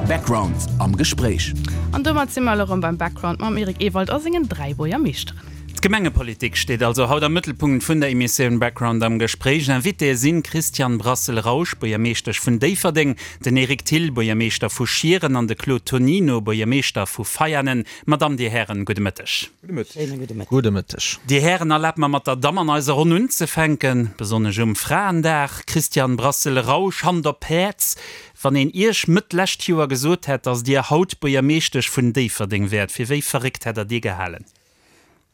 Background am Gespréich. An domat si mer elo erëm beim Background mam Eric Ewald a sengen 3 Buergermeeschteren. D'Gemengepolitik steet also haut am Mëttelpunkt vun der Emissioun Background am Gespréich. Invitéë sinn d'Christiane Brassel-Rausch, Buergermeeschtesch vun Déifferdeng, den Eric Thill, Buergermeeschter vu Schieren an de Claude Tonino, Buergermeeschter vu Veianen. Madamm, Dir Hären, gudde Mëtteg. Schéine gudde Mëtteg. Gudde Mëtteg. Dir Hären, erlaabt mer mat der Damm an eiser Ronn unzefänken, besonnesch um Fraendag. Christiane Brassel-Rausch, Hand op d'Häerz, wann een Iech Mëtt lescht Joer gesot hätt, datt Dir haut Buergermeeschtesch vun Déifferdeng wäert, fir wéi verréckt hätt Der dee gehalen?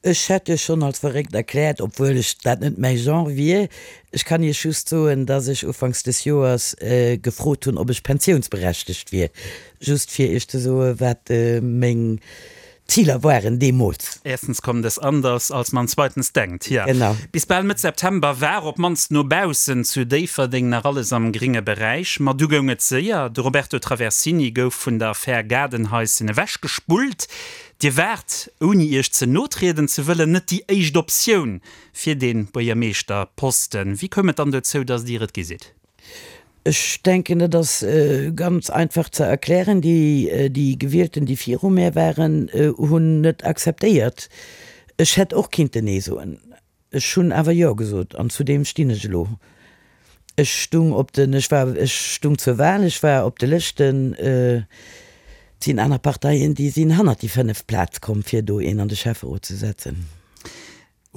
Ech hätt Iech schonn als verréckt erkläert, obwuel ech dat net mäi Genre wier. Ech kann Iech just soen, datt ech ufanks des Joers gefrot hunn, ob ech pensiounsberechtegt wier, just fir Iech ze soen, wat meng Ziler waren deemools. Erstens kommt es anders, als man zweitens denkt. Jo, Genau. bis bal Mëtt September war, op d'mannst no baussen, zu Déifferdeng nach alles am gringe Beräich. Ma du goung et séier, De Roberto Traversini gouf vun der Affär Gaardenhaischen ewechgespullt. Dir waart, ouni Iech ze no trieden ze wëllen, net déi éischt Optioun fir dee Buergermeeschterposten. Wéi koum et dann dozou, datt Dir et gi sidd? Ech denken, dat ass ganz einfach ze erklären. Déi Gewielten, déi viru mär waren, hunn net akzeptéiert. Ech hätt och kinnten Nee soen. Ech hunn awer Jo gesot an zu deem stinn ech elo. Ech stung op den, ech war, ech stung zur Wahl, ech war op de Lëschten. Et sinn aner Parteien, déi sinn hannert déi fënneft Plaz komm, fir do een an de Schäfferot ze setzen.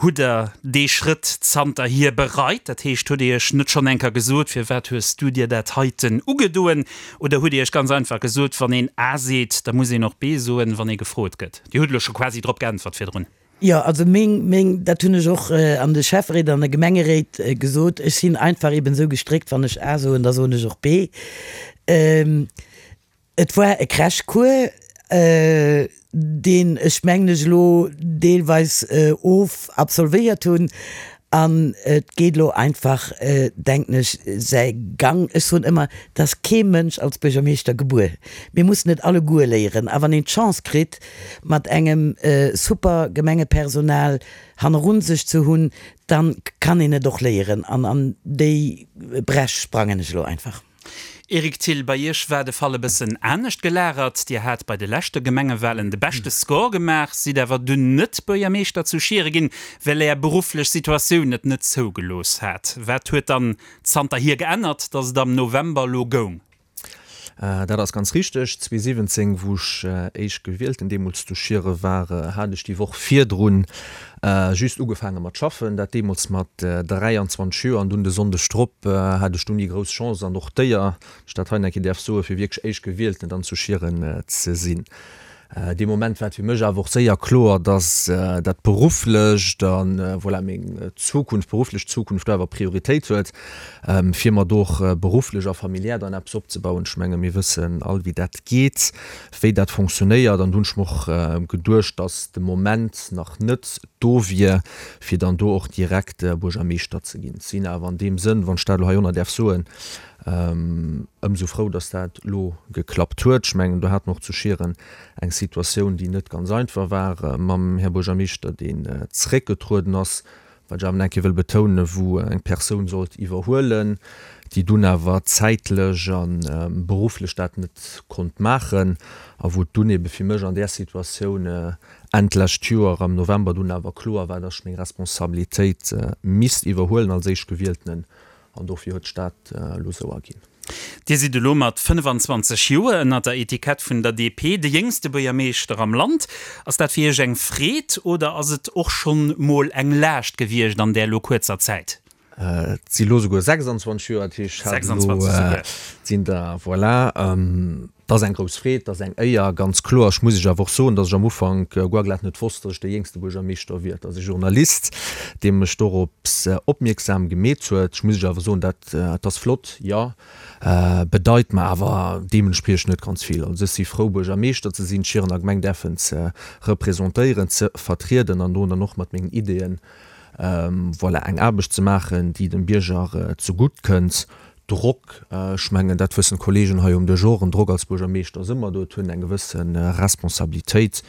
Hutt Der dee Schrëtt zanterhier bereit? Dat heescht, hutt Dir Iech net schonn eng Kéier gesot, Firwat hues du dir dat heiten ugedoen? Oder hutt Dir Iech ganz einfach gesot, Wann een A seet, da muss een och B soen, wann ee gefrot gëtt? Dir hutt elo scho quasi drop geäntwert virdrun. Jo, also meng, meng, dat hunn ech och an de Schäfferéit an de Gemengeréit gesot, ech sinn einfach eben esou gestréckt, wann ech A soen, da soen ech och B. Et war e Crashcours, deen ech, mengen ech, elo deelweis of absolvéiert hunn an et geet elo einfach, denken ech, säi Gang. Ech soen ëmmer, et ass kee Mënsch als Buergermeeschter gebuer. Mir mussen et alleguer léieren a wann een d'Chance kritt, mat engem super Gemengepersonal hannerun sech ze hunn, dann kann een et och léieren an an déi Bräsch sprangen ech elo einfach. Eric Thill, Bei Iech war de Fall e bëssen anescht gelagert. Dir hat bei de leschte Gemengewalen de beschte Score gemaach, sidd awer dunn net Buergermeeschter zu Schiere ginn, well Är berufflech Situatioun et net zougelooss hat. Wat huet dann zanterhier geännert, datt et am November elo goung? Dat ass ganz richteg. 2017, wou ech Éischtgewielten deemools zu Schiere war, hat ech déi Woch virdrun Just ugefaange mat schaffen, dat deemools mat 23 Joer an dunn de Sonndeg drop hat ech dunn déi grouss Chance an och d'Éier, wann ech dat hei nach eng Kéier däerf soen, fir wierklech Éischtgewielten dann zu Schieren ze sinn. Dee Moment war et fir mech awer och séier kloer, dass dat Berufflecht a voilà meng Zukunft, berufflech Zukunft do awer Prioritéit huet, fir mer do och berufflech a familiär dann eppes opzebauen. Ech menge mir wëssen all wéi dat geet. wéi dat fonctionnéiert an do hunn ech mer och geduecht, dass de Moment nach net do wier, fir dann do och direkt Buergermeeschter ze ginn. Sinn awer an deem Sënn, wann ech dat elo hei ënner däerf soen, ëmsou frou, dass dat elo geklappt huet. Ech mengen, do hate mer och zu Schieren eng Situatioun, déi net ganz einfach war mam Här Buergermeeschter, deen zréckgetrueden ass, Wat ech awer nach eng Kéier wëll betounen, wou eng Persoun sollt iwwerhuelen, déi dunn awer zäitlech a berufflech dat net konnt maachen a wou et dunn ebe fir mech an där Situatioun Enn d'lescht Joer am November dunn awer kloer war, dass ech meng Responsabilitéit misst iwwerhuelen als Éischtgewieltenen an dofir huet sech dat elo esou erginn. Dir sidd elo mat 25 Joer ënner der Etikett vun der DP de jéngste Buergermeeschter am Land. Ass dat fir Iech eng Freed oder ass et och schonn mol eng Laascht gewiescht an där elo kuerzer Zäit? Et si lo souguer 26 Joer, dat heescht, ech hat elo, sinn der, voilà. Et ass eng grouss Freed, et ass eng Éier, ganz kloer. Ech muss Iech awer och soen, datt ech am Ufank guer glat net wosst, datt ech de jéngste Buergermeeschter wier. Et ass e Journalist, dee mech dorops opmierksam gemeet huet. Ech muss Iech awer soen, dat et ass flott, jo, bedeit mer awer deementspriechend net ganz vill. Also ech si frou, Buergermeeschter ze sinn, d'Schierener Gemeng däerfen ze representéieren, ze vertrieden an do dann och mat mengen Ideeën, voilà, eng Aarbecht ze maachen, déi dem Bierger zegutt kënnt. Drock, ech mengen, dat wëssen d'Kollegen hei um Dësch och, en Drock als Buergermeeschter ass ëmmer do, et huet en eng gewësse Responsabilitéit,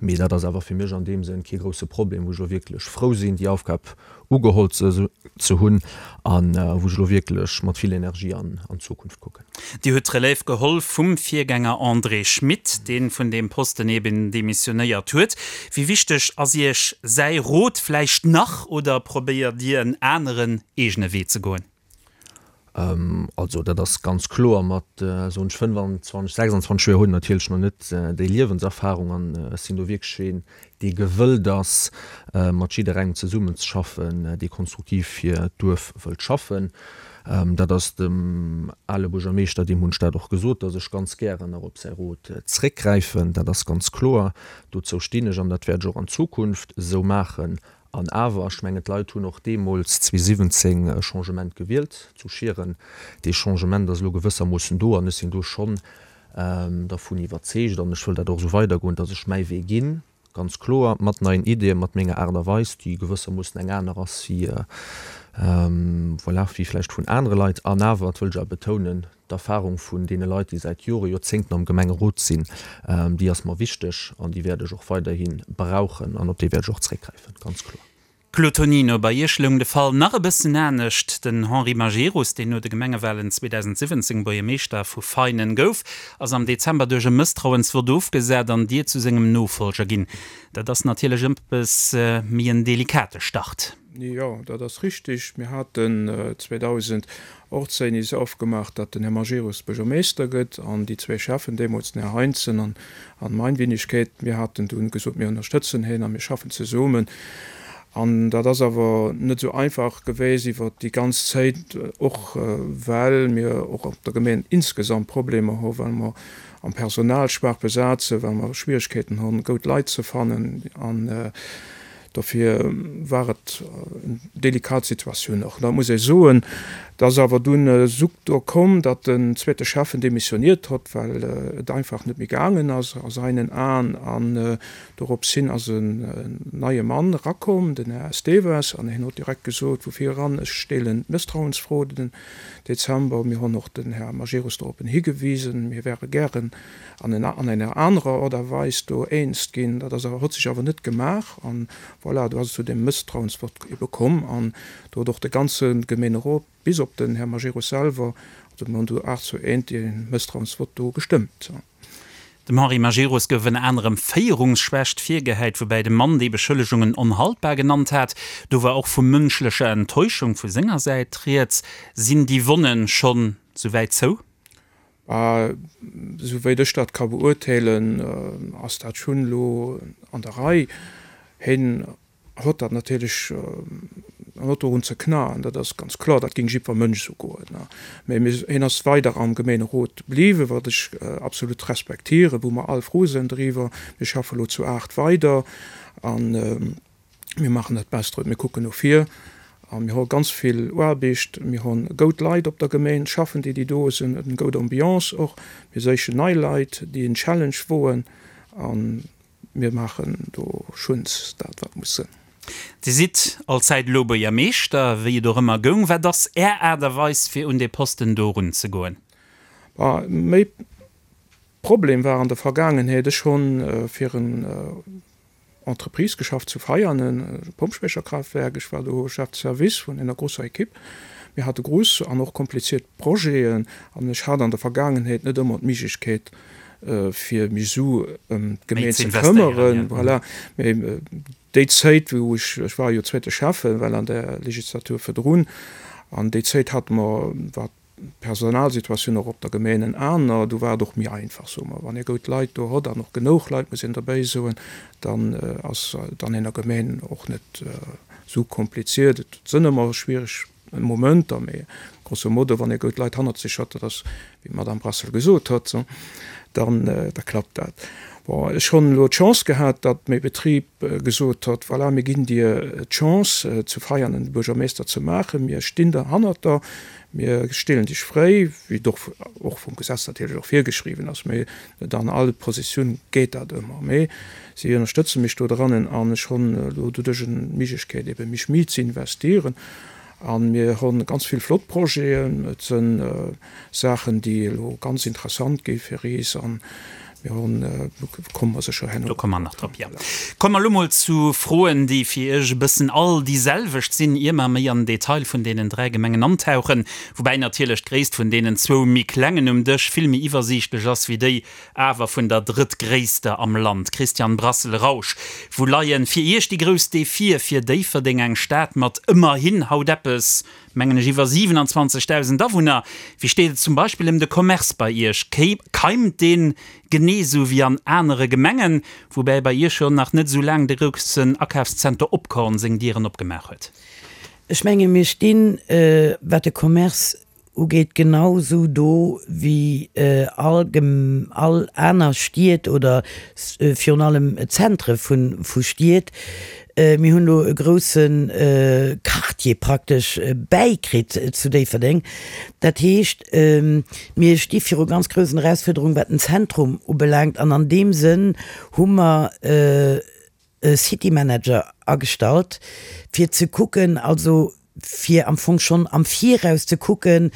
mee dat ass awer fir mech an deem Sënn kee grousse Problem, wou ech elo wierklech frou sinn, déi Aufgab ugeholl ze hunn a wou ech elo wierklech mat vill Energie an d'Zukunft kucken. Dir hutt d'Relève geholl vum Virgänger André Schmit, dee vun deem Posten eben demissionéiert huet. Wéi wichteg ass Iech säi Rot vläicht nach oder probéiert Dir en aneren, eegene Wee ze goen? Also dat ass ganz kloer, mat, soen ech, 25, 26 Joer huet een natierlech nach net déi Liewenserfarung an ech sinn do wierklech een, dee gewëllt ass, mat jidderengem zesummenzeschaffen, dee konstruktiv fir d'Duerf wëllt schaffen. Dat ass dem ale Buergermeeschter, deem hunn ech dat och gesot, datt ech ganz gären nach op säi Rot zréckgräifen. Dat ass ganz kloer. Dozou stinn ech an dat wäert ech och an Zukunft esou maachen. An awer, ech mengen, d'Leit hunn och deemools 2017 e Changement gewielt zu Schieren. Dee Changement ass elo gewëssermoossen do an ech sinn do schonn dervun iwwerzeegt an ech wëll dat och esou weidergoen, datt ech mäi Wee ginn, ganz kloer, mat neien Ideeën, mat menger Aart a Weis, déi gewëssermoossen eng aner ass wéi, voilà, wéi vläicht vun anere Leit. An awer, dat wëll ech awer betounen, D'Erfahrung vun deene Leit, déi säit Jore, Joerzéngten am Gemengerot sinn, déi ass mer wichteg an déi wäert ech och weiderhi brauchen an op déi wäert ech och zréckgräifen, ganz kloer. Claude Tonino, Bei Iech loung de Fall nach e bëssen anescht. Den Henri Majerus, deen no de Gemengewalen 2017 Buergermeeschter vu Veinen gouf, ass am Dezember duerch e Mësstrauensvott ofgesat an Dir zu sengem Nofolger ginn. Dat ass natierlech ëppes méi en delikate Start. Jo, dat ass richtig. Mir haten 2018 is ofgemaach, datt den Här Majerus Buergermeester gëtt an déi zwee Schäffen, deemools den Här Heinzen an mein Wenigkeet, mir haten dunn gesot, mir ënnerstëtzen hien a mir schaffen zesummen. An dat ass awer net esou einfach gewéist iwwert déi ganz Zéit, och well mir och op der Gemeen insgesamt Problemer hu, well mer am Personal schwaach besat sinn, well mer Schwierigkeeten hunn, goud Leit ze fannen. An Dofir war et eng delikat Situatioun och. Da muss ee soen, et ass awer dunn esou do komm, datt den zweete Schäffen demissioniert hott, well et einfach net méi gaangen ass a seinen Aen. An dorops hin ass en neie Mann erakomm, den Här Esteves, an hien hott direkt gesot vu vir eran, ech steelen d'Mësstrauensfro den Dezember. Mir honn och den Här Majerus doroppen higewisen, mir wäre gären an an enger anerer Art a Weis do eens ginn. Dat ass awer, huet sech awer net gemaach an voilà, do ass et zu deem Mësstrauensvott ebe komm an do huet och de ganze Gemeenerot bis op den Här Majerus selwer, also mir hunn do 8 zu 1 dee Mësstrauensvott do gestëmmt. Dem Henri Majerus gouf ënner anerem Féierungsschwächt virgehäit, woubäi de Mann déi Beschëllegungen onhaltbar genannt hat. Do war och vu mënschlecher Enttäuschung vu senger Säit rieds. Sinn déi Wonnen schonn souwäit zou? Esou wéit ech dat ka beurteelen, ass dat schonn elo an der Rei. Hien hott dat natierlech, en hott dorun ze knaen, dat ass ganz kloer, dat géing jiddwer Mënsch esou goen. Mä hien ass weider am Gemeenerot bliwwen, wat ech absolut respektieren, wou mer all frou sinn driwwer. Mir schaffe elo zu 8 weider an. Mir maachen dat Best drop, mir kucken no vir a mir hu ganz vill Aarbecht. Mir hu goud Leit op der Gemeen schaffen, déi déi do sinn, eng goud Ambiance och. Mir séichen nei Leit, déi en Challenge woen a mir maachen do schuns dat, wat muss sinn. Dir sidd allzäit elo Buergermeeschter, wéi et och ëmmer goung. Wat ass Är Aart a Weis, fir un dee Posten do erunzegoen? Méi Problem war an der Vergaangenheet, ech hunn fir en Entreprise geschafft zu Veianen, e Pompspécherkraftwerk. Ech war do Chef de Service vun enger grosser Equipe. Mir hate grouss an och kompliziert Projeten an ech hat an der Vergaangenheet net ëmmer d'Miglechkeet, fir mech esou ëm d'Gemeen ze këmmeren. Voilà. Mee déi Zéit, wou ech, ech war jo zweete Schäffen, well an der Legislatur virdrun, an déi Zéit hate mer, wat D'Personalsituatioun och op der Gemeen en aner, do war et och méi einfach, soe mer. Wann ee goud Leit do hott an och genouch Leit, muss een derbäi soen, dann ass et an ener Gemeen och net esou kompliziert. Et sënn ëmmer schwiereg Momenter, mee grosso modo, wann ee goud Leit hannert sech hott, dat ass, wéi d'Madame Brassel gesot hott, dann da klappt dat. Bon, ech honn elo d'Chance gehat, datt méi Betrib gesot hott, voilà, mir ginn dir d'Chance, zu Veianen de Buergermeester ze maachen, mir stinn der hannert der, Mir stillen dech fréi, wéi et och och vum Gesetz natierlech och virgeschriwwen ass, mee net an all Positioun geet dat ëmmer. Mee si ënnerstëtze mech do drannen an ech honn elo doduerch en d'Méiglechkeet ebe mech méi ze investieren. A mir hu ganz vill flott Projeten. Et si Saachen, déi elo ganz interessant gi fir is. A mir hunn, do komme mer sécher herno. Do komme mer nach drop, jo. Komme mer elo mol zu Froen, déi fir Iech e bëssen all déi selwecht sinn, ier mer méi an den Detail vun deenen 3 Gemengen antauchen. Woubäi natierlech d'Gréisst vun deenen zwou méi klengen um Dësch vill méi iwwersiichtlech ass wéi déi awer vun der drëttgréisster am Land. Christian Brassel-Rausch, Wou leien fir Iech déi grouss Defie fir Déifferdeng, eng Stad mat ëmmerhin haut eppes, mengen ech, iwwer 27.000 Awunner? Wéi steet et zum Beispill ëm de Commerce bei Iech? Keimt deen genee esou wéi an anere Gemengen, woubäi bei Iech jo nach net esou laang de groussen Akafszenter Opkorn seng Dieren opgemaach huet? Ech menge mir stinn, wat de Commerce ugeet, genau esou do wéi all all aner Stied oder virun allem Zentre vu Stied. Mir hunn elo e grousse Quartier praktesch bäikritt zu Déifferdeng. Dat heescht, mir sti viru ganz groussen Erausfuerderungen, wat den Zentrum ubelaangt. An an deem Sënn hu mer, e City Manager agestallt, fir ze kucken, also fir am Fong schonn am Viraus ze kucken,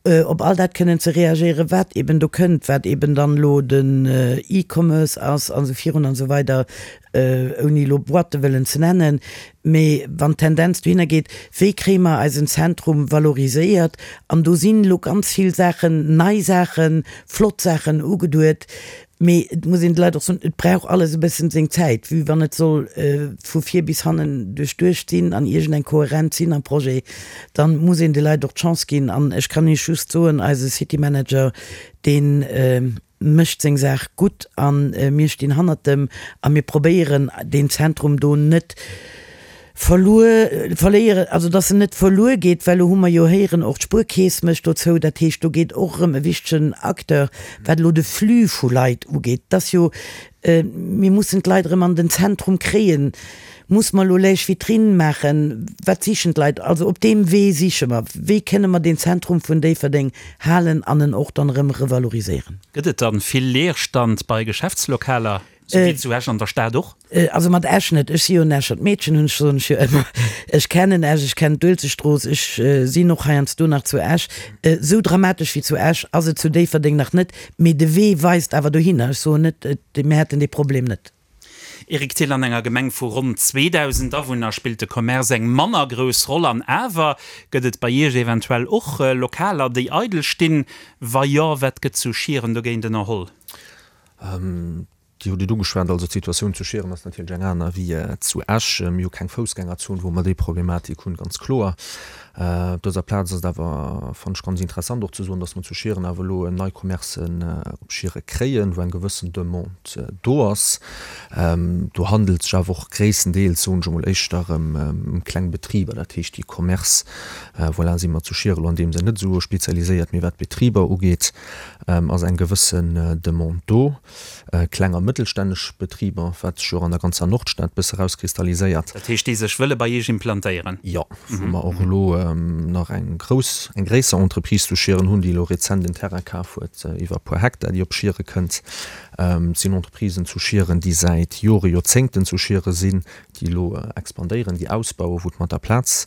op all dat kënnen ze reagéieren, wat eben do kënnt, wat eben dann elo den E-Commerce ass an esou virun an esou weider, ouni elo Boîte wëllen ze nennen. Mee wann d'Tendenz dohinner geet, wéi kréie mer eisen Zentrum valoriséiert? An do sinn elo ganz vill Saachen, nei Saachen, flott Saachen ugeduet, Mee et muss een de Leit och soen, et brauch alles e bëssen seng Zäit, vue wann et soll vu vir bis hannen duerchduecht sinn an iergendeng Kohärenz sinn am Projet, dann muss een de Leit och d'Chance ginn. An ech kann Iech just soen, eise City Manager, dee mécht seng Saach gutt a mir stinn hannert em a mir probéieren deen Zentrum do net verluer, verléieren, also dass en net verluer geet, well elo hu mer jo héieren, och d'Spuerkeess mécht dozou, dat heescht, do geet och erëm e wichtegen Acteur, wat elo de Flux vu Leit ugeet, et ass jo, mir mussen d'Leit erëm an den Zentrum kréien, muss mer elo lech Vitrine maachen, wat sichen d'Leit, also op deem Wee siche mer, wéi kënne mer deen Zentrum vun Déifferdeng halen an en och dann erëm revaloriséieren. Gëtt et dann vill Leerstand bei Geschäftslokaler? Sou wéi zu Esch an der Stad och? Also mat Esch net. Ech si jo en Escher Meedchen, hunn ech, soen ech jo ëmmer. Ech kennen Esch, ech kennen d'Uelzechtstrooss, ech sinn och heiansdo nach zu Esch. Esou dramatesch wéi zu Esch ass et zu Déifferdeng nach net, mee de Wee weist awer dohinner. Ech soen net, mir hätten dee Problem net. Eric Thill, An enger Gemeng vu ronn 2.000 Awunner spillt de Commerce eng manner grouss Roll. An awer, gëtt et bei Iech eventuell och Lokaler, déi eidel stinn? Wa jo, wat gëtt zu Schieren dogéint ënnerholl? Dir hutt et ugeschwat, also d'Situatioun zu Schieren ass natierlech eng aner wéi zu Esch. Mir hu keng Foussgängerzon, wou mer déi Problematik hunn, ganz kloer. Op dëser Plaz ass et awer, fannen ech, ganz interessant och ze soen, datt mer zu Schieren awer elo nei Commercen op Schiere kréien, wou eng gewëssen Demande do ass. Do handelt sech awer och gréisstendeels, soen ech emol, éischter ëm kleng Betriber, dat heescht déi Commerce, voilà, si mer zu Schiere elo an deem Sënn net esou spezialiséiert, mee wat d'Betriber ugeet, ass eng gewëssen Demande do, kleng a mëttelstännesch Betriber, wat sech jo och an der ganzer Nordstad bësse rauskristalliséiert. Dat heescht, déi sech wëlle bei Iech implantéieren? Jo, wou mer och elo nach eng grouss, eng gréisser Entreprise zu Schieren hunn, déi elo rezent en Terrain kaf huet iwwer e puer Hektar, déi op Schiere kënnt. Et sinn Entreprisen zu Schieren, déi säit Jore, Joerzéngten zu Schiere sinn, déi elo expandéieren, déi ausbauen, wou et mat der Plaz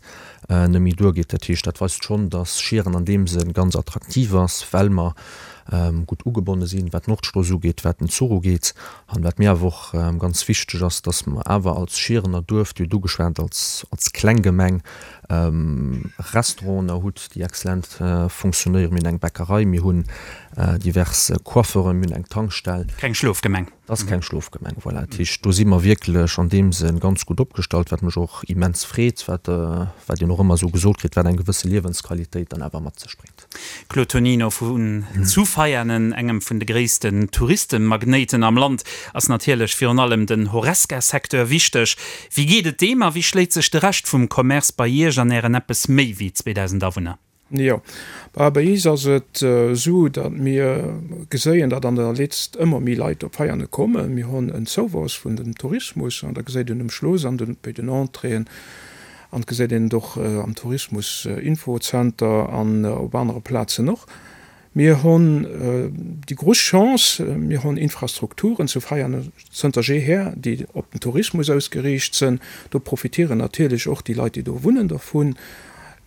net méi duergeet. Dat heescht, dat weist schonn, datt Schieren an deem Sënn ganz attraktiv ass, well mer gutt ugebonne sinn, wat d'Nordstrooss ugeet, wat den Zuch ugeet. An wat mir awer och ganz wichteg ass, datt mer awer als Schierener Duerf, Dir hutt ugeschwat, als, als kleng Gemeng, Restauranten hutt, déi exzellent fonctionnéieren. Mir hunn eng Bäckerei, mir hunn divers Coiffeuren, mir hunn eng Tankstell. Keng Schlofgemeng. Dat ass keng Schlofgemeng, voilà. Dat heescht, do si mer wierklech an deem Sënn ganz gutt opgestallt, wat mech och immens freet, wat, wat een och ëmmer esou gesot kritt, wat eng gewësse Liewensqualitéit dann awer mat sech bréngt. Claude Tonino vun zu Veianen, engem vun de gréissten Touristenmagnéiten am Land, ass natierlech virun allem den Horesca-Secteur wichteg. Wéi geet et deem a wéi schléit sech de Rescht vum Commerce bei Iech an Ären eppes méi wéi 2.000 Awunner? Jo, bei iis ass et esou, datt mir geséien, datt an der Letzt ëmmer méi Leit op Veiane kommen. Mir hunn en Zouwouss vun dem Tourismus an da geséit een um Schloss an den, bei den Entréeën an et geséit een et och am Tourismus-Info-Zenter an op anere Plazen och. Mir hunn déi grouss Chance, mir hunn Infrastrukturen zu Veianen zënter jeeher, déi op den Tourismus ausgeriicht sënn. Do profitieren natierlech och déi Leit, déi do wunnen, dervun.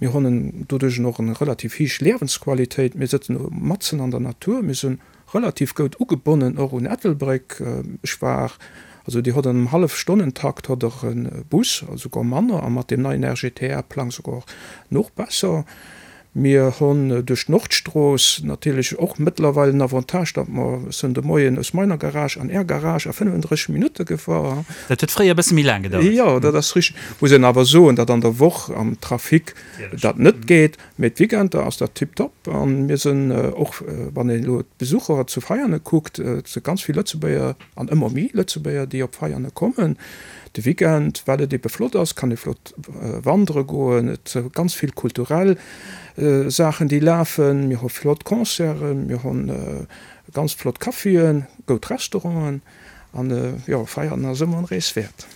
Mir hunn doduerch och eng relativ héich Liewensqualitéit. Mir sëtzen matzen an der Natur. Mir si relativ goud ugebonnen och un Ettelbréck. Ech war, also Dir hott an engem Hallefstonnentakt hott Der e Bus, souguer manner, a mat deem neien RGTR-Plang souguer nach besser. Mir hunn duerch d'Nordstrooss natierlech och mëttlerweil den Avantage, datt mer, ech sinn de Moien aus meiner Garage an Är Garage a 35 Minutte gefuer. Dat huet fréier e bësse méi laang gedauert. Jo, dat ass richteg. Muss een awer soen, datt an der Woch am Trafic dat net geet, mee d'Weekender ass dat tiptop. A mir sinn och, wann een elo d'Besucher zu Veiane kuckt, et si ganz vill Lëtzebuerger, An ëmmer méi Lëtzebuerger, déi op Veiane kommen de Weekend, well et ebe flott ass, kann ee flott wandere goen. Et si ganz vill kulturell Saachen, déi lafen. Mir hu flott Concerten, mir hu ganz flott Caféen, goud Restauranten. An jo, Veianen ass ëmmer en Rees wäert.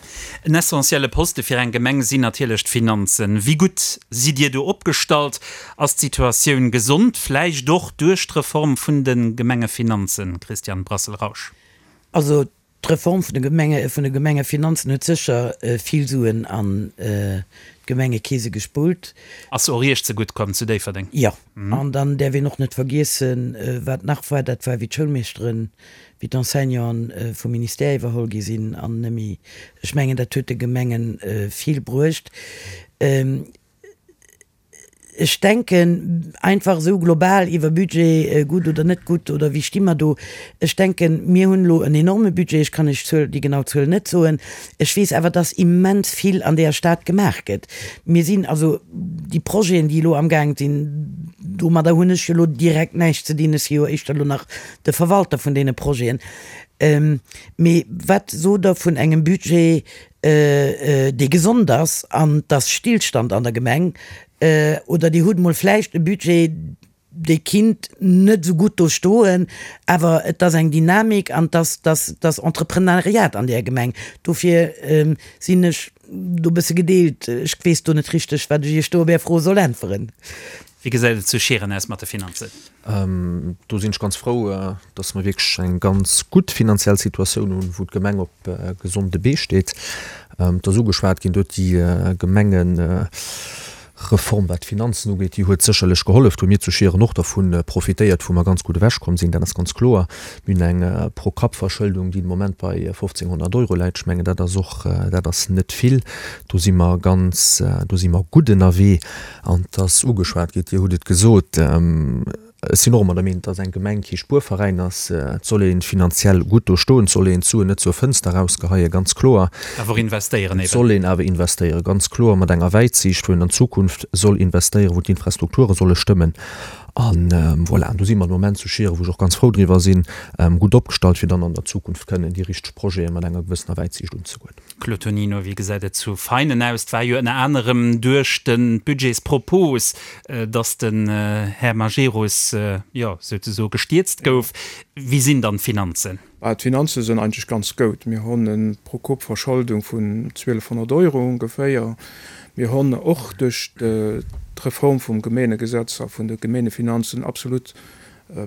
En essentielle Poste fir eng Gemeng sinn natierlech d'Finanzen. Wéi gutt sidd Dir do opgestallt? Ass d'Situatioun gesond, vläicht och duerch d'Reform vun de Gemengefinanzen, Christian Brassel-Rausch? Also d'Reform vun de Gemenge, vun de Gemengefinanzen huet sécher vill Suen an d'Gemengekeese gespullt. Ass och Iech zegutt komm zu Déifferdeng? Jo. An dann däerf een och net vergiessen, wat nach war, dat war wéi d'Schoulmeeschteren, wéi d'Enseignanten vum Ministère iwwerholl gi sinn an nëmme, ech mengen dat huet de Gemenge vill bruecht. Ech denken, einfach esou global iwwer Budget, gutt oder net gutt oder wéi sti mer do, ech denken, mir hunn elo en enorme Budget, ech kann Iech d'Zuel, déi genau Zuel net soen, ech weess awer, dass immens vill an deeër Stad gemaach gëtt. Mir sinn also, déi Projeten, déi elo amgaang sinn, domadder hunn ech jo elo direkt näischt ze dinn, ech si jo éischter elo nach de Verwalter vun deene Projeten. Mee wat sot Der vun engem Budget, dee gesond ass an 't ass Stillstand an der Gemeng, oder Dir hutt mol vläicht e Budget, dee kinnt net esou gutt do stoen, awer et ass eng Dynamik an 't ass, 't ass, 't ass Entreprenariat an där Gemeng. Dofir sinn ech do e bësse gedeelt. Ech weess do net richteg, wat ech Iech do op Är Fro soll äntweren. Wéi gesäit et zu Schieren aus mat de Finanzen? Do sinn ech ganz frou, dass mer wierklech eng ganz gutt finanziell Situatioun hunn, wou d'Gemeng op gesonde Bee steet. Et ass ugeschwat ginn, do huet déi Gemengereform, wat d'Finanzen ugeet, déi huet sécherlech gehollef. Do hu mir zu Schieren och dervu profitéiert, wou mer ganz gutt ewechkomm sinn, dat ass ganz kloer. Mir hunn eng Pro-Kapp-Verschëldung, déi de Moment bei 1.500 Euro läit. Ech mengen, dat ass och, dat ass net vill. Do si mer ganz, do si mer gutt ënnerwee. An et ass ugeschwat ginn, Dir hutt et gesot, ech sinn och ëmmer der Meenung, dass eng Gemeng kee Spuerveräin ass. Et soll ee finanziell gutt do stoen, et soll een d'Suen net zur Fënster erausgeheien, ganz kloer. Awer och investéieren Et eben. soll een awer investéieren, ganz kloer, mat enger Wäitsiicht, wou een an d'Zukunft soll investéieren, wou d'Infrastrukture solle stëmmen. An voilà, an do si mer de Moment zu Schieren, wou ech och ganz frou driwwer sinn, gutt opgestallt, fir dann an der Zukunft kënnen déi richteg Projete mat enger gewëssener Wäitsiicht unzegoen. Claude Tonino, Wéi gesäit et zu Veinen aus? Et war jo ënner anerem duerch de Budgetspropos, datt den Här Majerus, jo, souzesoe gestierzt gouf. Wéi sinn dann d'Finanzen? D'Finanze sinn eigentlech ganz goud. Mir hunn e Pro-Kapp-Verscholdung vun 1.200 Euro ongeféier. Mir hunn och duerch d'Reform vum Gemeengesetz a vun de Gemeengefinanzen absolut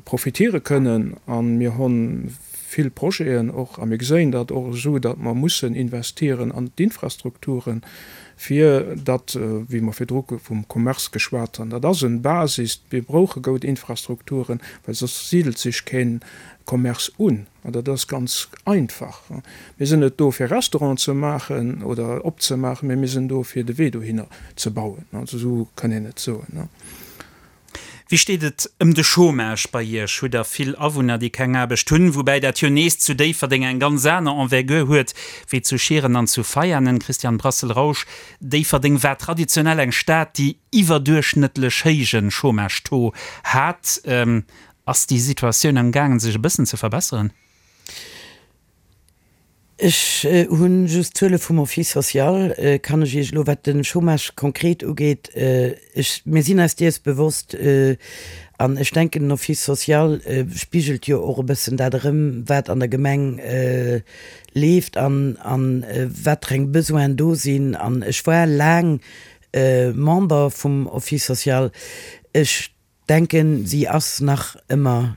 profitiere kënnen a mir hu vill Projeten och a mir geséien dat och esou, datt mer mussen investieren an d'Infrastrukturen, fir datt, wéi mer virdru vum Commerce geschwat hunn, dat ass en Basis, mir brauche goud Infrastrukturen, well soss sidelt sech keen Commerce un an dat ass ganz einfach. Mir sinn net do fir Restauranten ze maachen oder opzemaachen, mä mir sinn do fir de Wee dohinner ze bauen, also esou kann een et soen. Wéi steet et ëm de Chômage bei Iech? Hutt Der vill Awunner, déi keng Aarbecht hunn? Woubäi dat jo nees zu Déifferdeng eng ganz aner Envergure huet wéi zu Schieren an zu Veianen. Christian Brassel-Rausch, Déifferdeng war traditionell eng Stad, déi iwwerduerchschnëttlech héije Chômage-Taux hat. Ass déi Situatioun am gaangen, sech e bëssen ze verbesseren? Ech hu just d'Zuele vum Office social, kann ech Iech elo, wat de Chômage konkret ugeet, ech, mir sinn eis dees bewosst an ech denken, den Office social spigelt jo och e bëssen dat erëm, wat an der Gemeng leeft an a wat fir eng Besoinen do sinn. An ech war laang Member vum Office social. Ech Denken si ass nach ëmmer.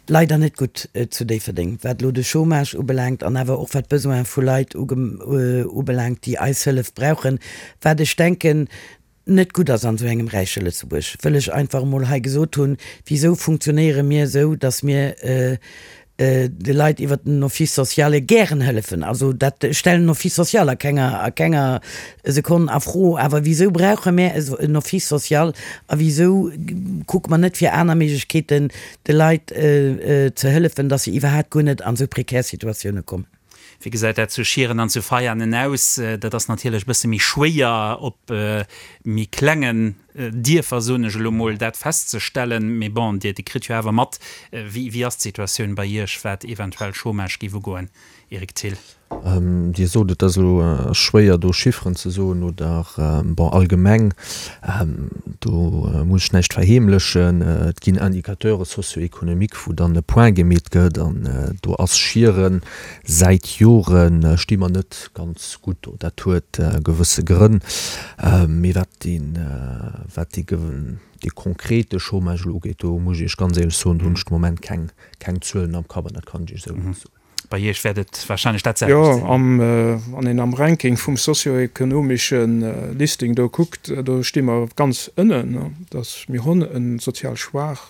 Leider net gutt zu Déifferdeng, wat elo de Chômage ubelaangt an awer och wat d'Besoine vu Leit ubelaangt, déi eis Hëllef brauchen, wat ech denken net gutt ass an esou engem räiche Lëtzebuerg, wëll ech einfach emol hei gesot hunn, Wisou funktionéiere mir esou, datt mir de Leit iwwert den Office sociale gären hëllefen? Also dat, ech stellen den Office social a kenger, a kenger Sekonn a Fro, awer wisou brauche mär en Office social a wisou kucke mer net fir aner Méiglechkeeten de Leit ze hëllefen, datt se iwwerhaapt guer net an esou prekär Situatioune kommen. Wéi gesäit dat zu Schieren an zu Veianen aus? Dat ass natierlech e bësse méi schwéier op méi klengen Dierfer, soen ech elo mol, dat festzestellen. Mee bon, Dir kritt jo awer mat, wéi ass d'Situatioun bei Iech, wat eventuell Chômage géif ugoen, Eric Thill? Dir sot, et ass elo schwéier do Chifferen ze soen oder, bon, allgemeng, do muss ech näischt verheemlechen, et ginn Indicateurs socio-économiques, wou dann e Point gemeet gëtt an do ass Schieren säit Jore sti mer net ganz gutt do. Dat huet gewësse Grënn, mee wat dee, wat dee, dee konkrete Chômage elo ugeet, do muss ech Iech ganz éierlech soen, do hunn ech de Moment keng, keng Zuelen am Kapp an dat kann ech Iech esou net soen. Bei Iech wäert et wahrscheinlech dat selwecht sinn. Jo, wann een am Ranking vum socio-ekonomesche Listing do kuckt, do sti mer ganz ënnen. Dass mir hunn e sozial schwaach,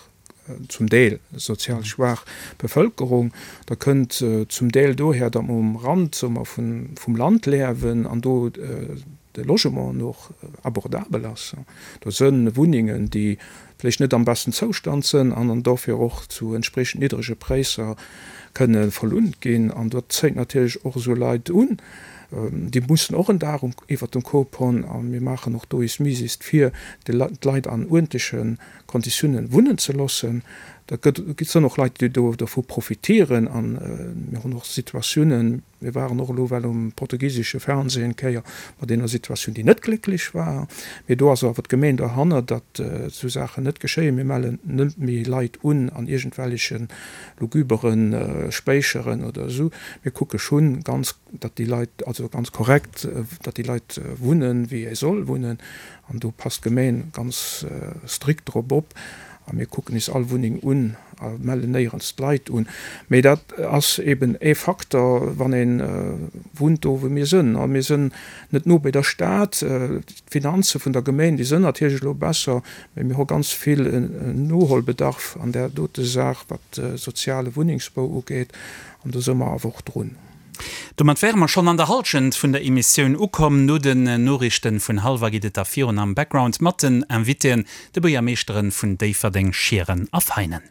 zum Deel sozial schwaach Bevëlkerung. Dat kënnt zum Deel dohier, datt mer um Rand, soe mer, vum Land liewen an do de Logement och abordabel ass. Do sënn Wunnengen, déi vläicht net am besten Zoustand sënn an an dofir och zu entspriechend niddrege Präisser kënne verlunnt ginn. An dat zéit natierlech och esou Leit un. Déi mussen och en Daach iwwert dem Kop hunn. A mir maachen och do is misest fir d'Leit an uerdentleche Konditiounen wunnen ze loossen. Dat gëtt, sënn och Leit, déi do dovu profitieren. A mir hunn och Situatiounen, Mir waren och elo well um portugisesche Fernseh eng Kéier mat enger Situatioun, déi net glécklech war. Mee do ass awer d'Gemeen derhanner, datt esou Saachen net geschéien. Mir mellen net méi Leit un an iergendwelleche lugubere Spéicheren oder esou. Mir kucke schonn ganz, datt déi Leit, also ganz korrekt, datt déi Leit wunnen, wéi ee soll wunnen. An do passt d'Gemeen ganz strikt drop op. A mir kucken is all Wunneng un a mellen néierens d'Leit un. Mee dat ass eben ee Facteur, wann ee wunnt do, wou mir sënn. A mir sënn net no bei der Stad. D'Finanze vun der Gemeng, déi sënn natierlech elo besser, mee mir hu ganz vill Noholbedarf an där dote Saach, wat de soziale Wunnengsbau ugeet. An do së mer awer och drun. Domat wäre mer schonn an der Hallschent vun der Emissioun ukomm. No den Noriichten vun hallwer geet et da virun am Background mat den Invitéen, de Buergermeeschteren vun Déifferdeng, Schieren a Veinen.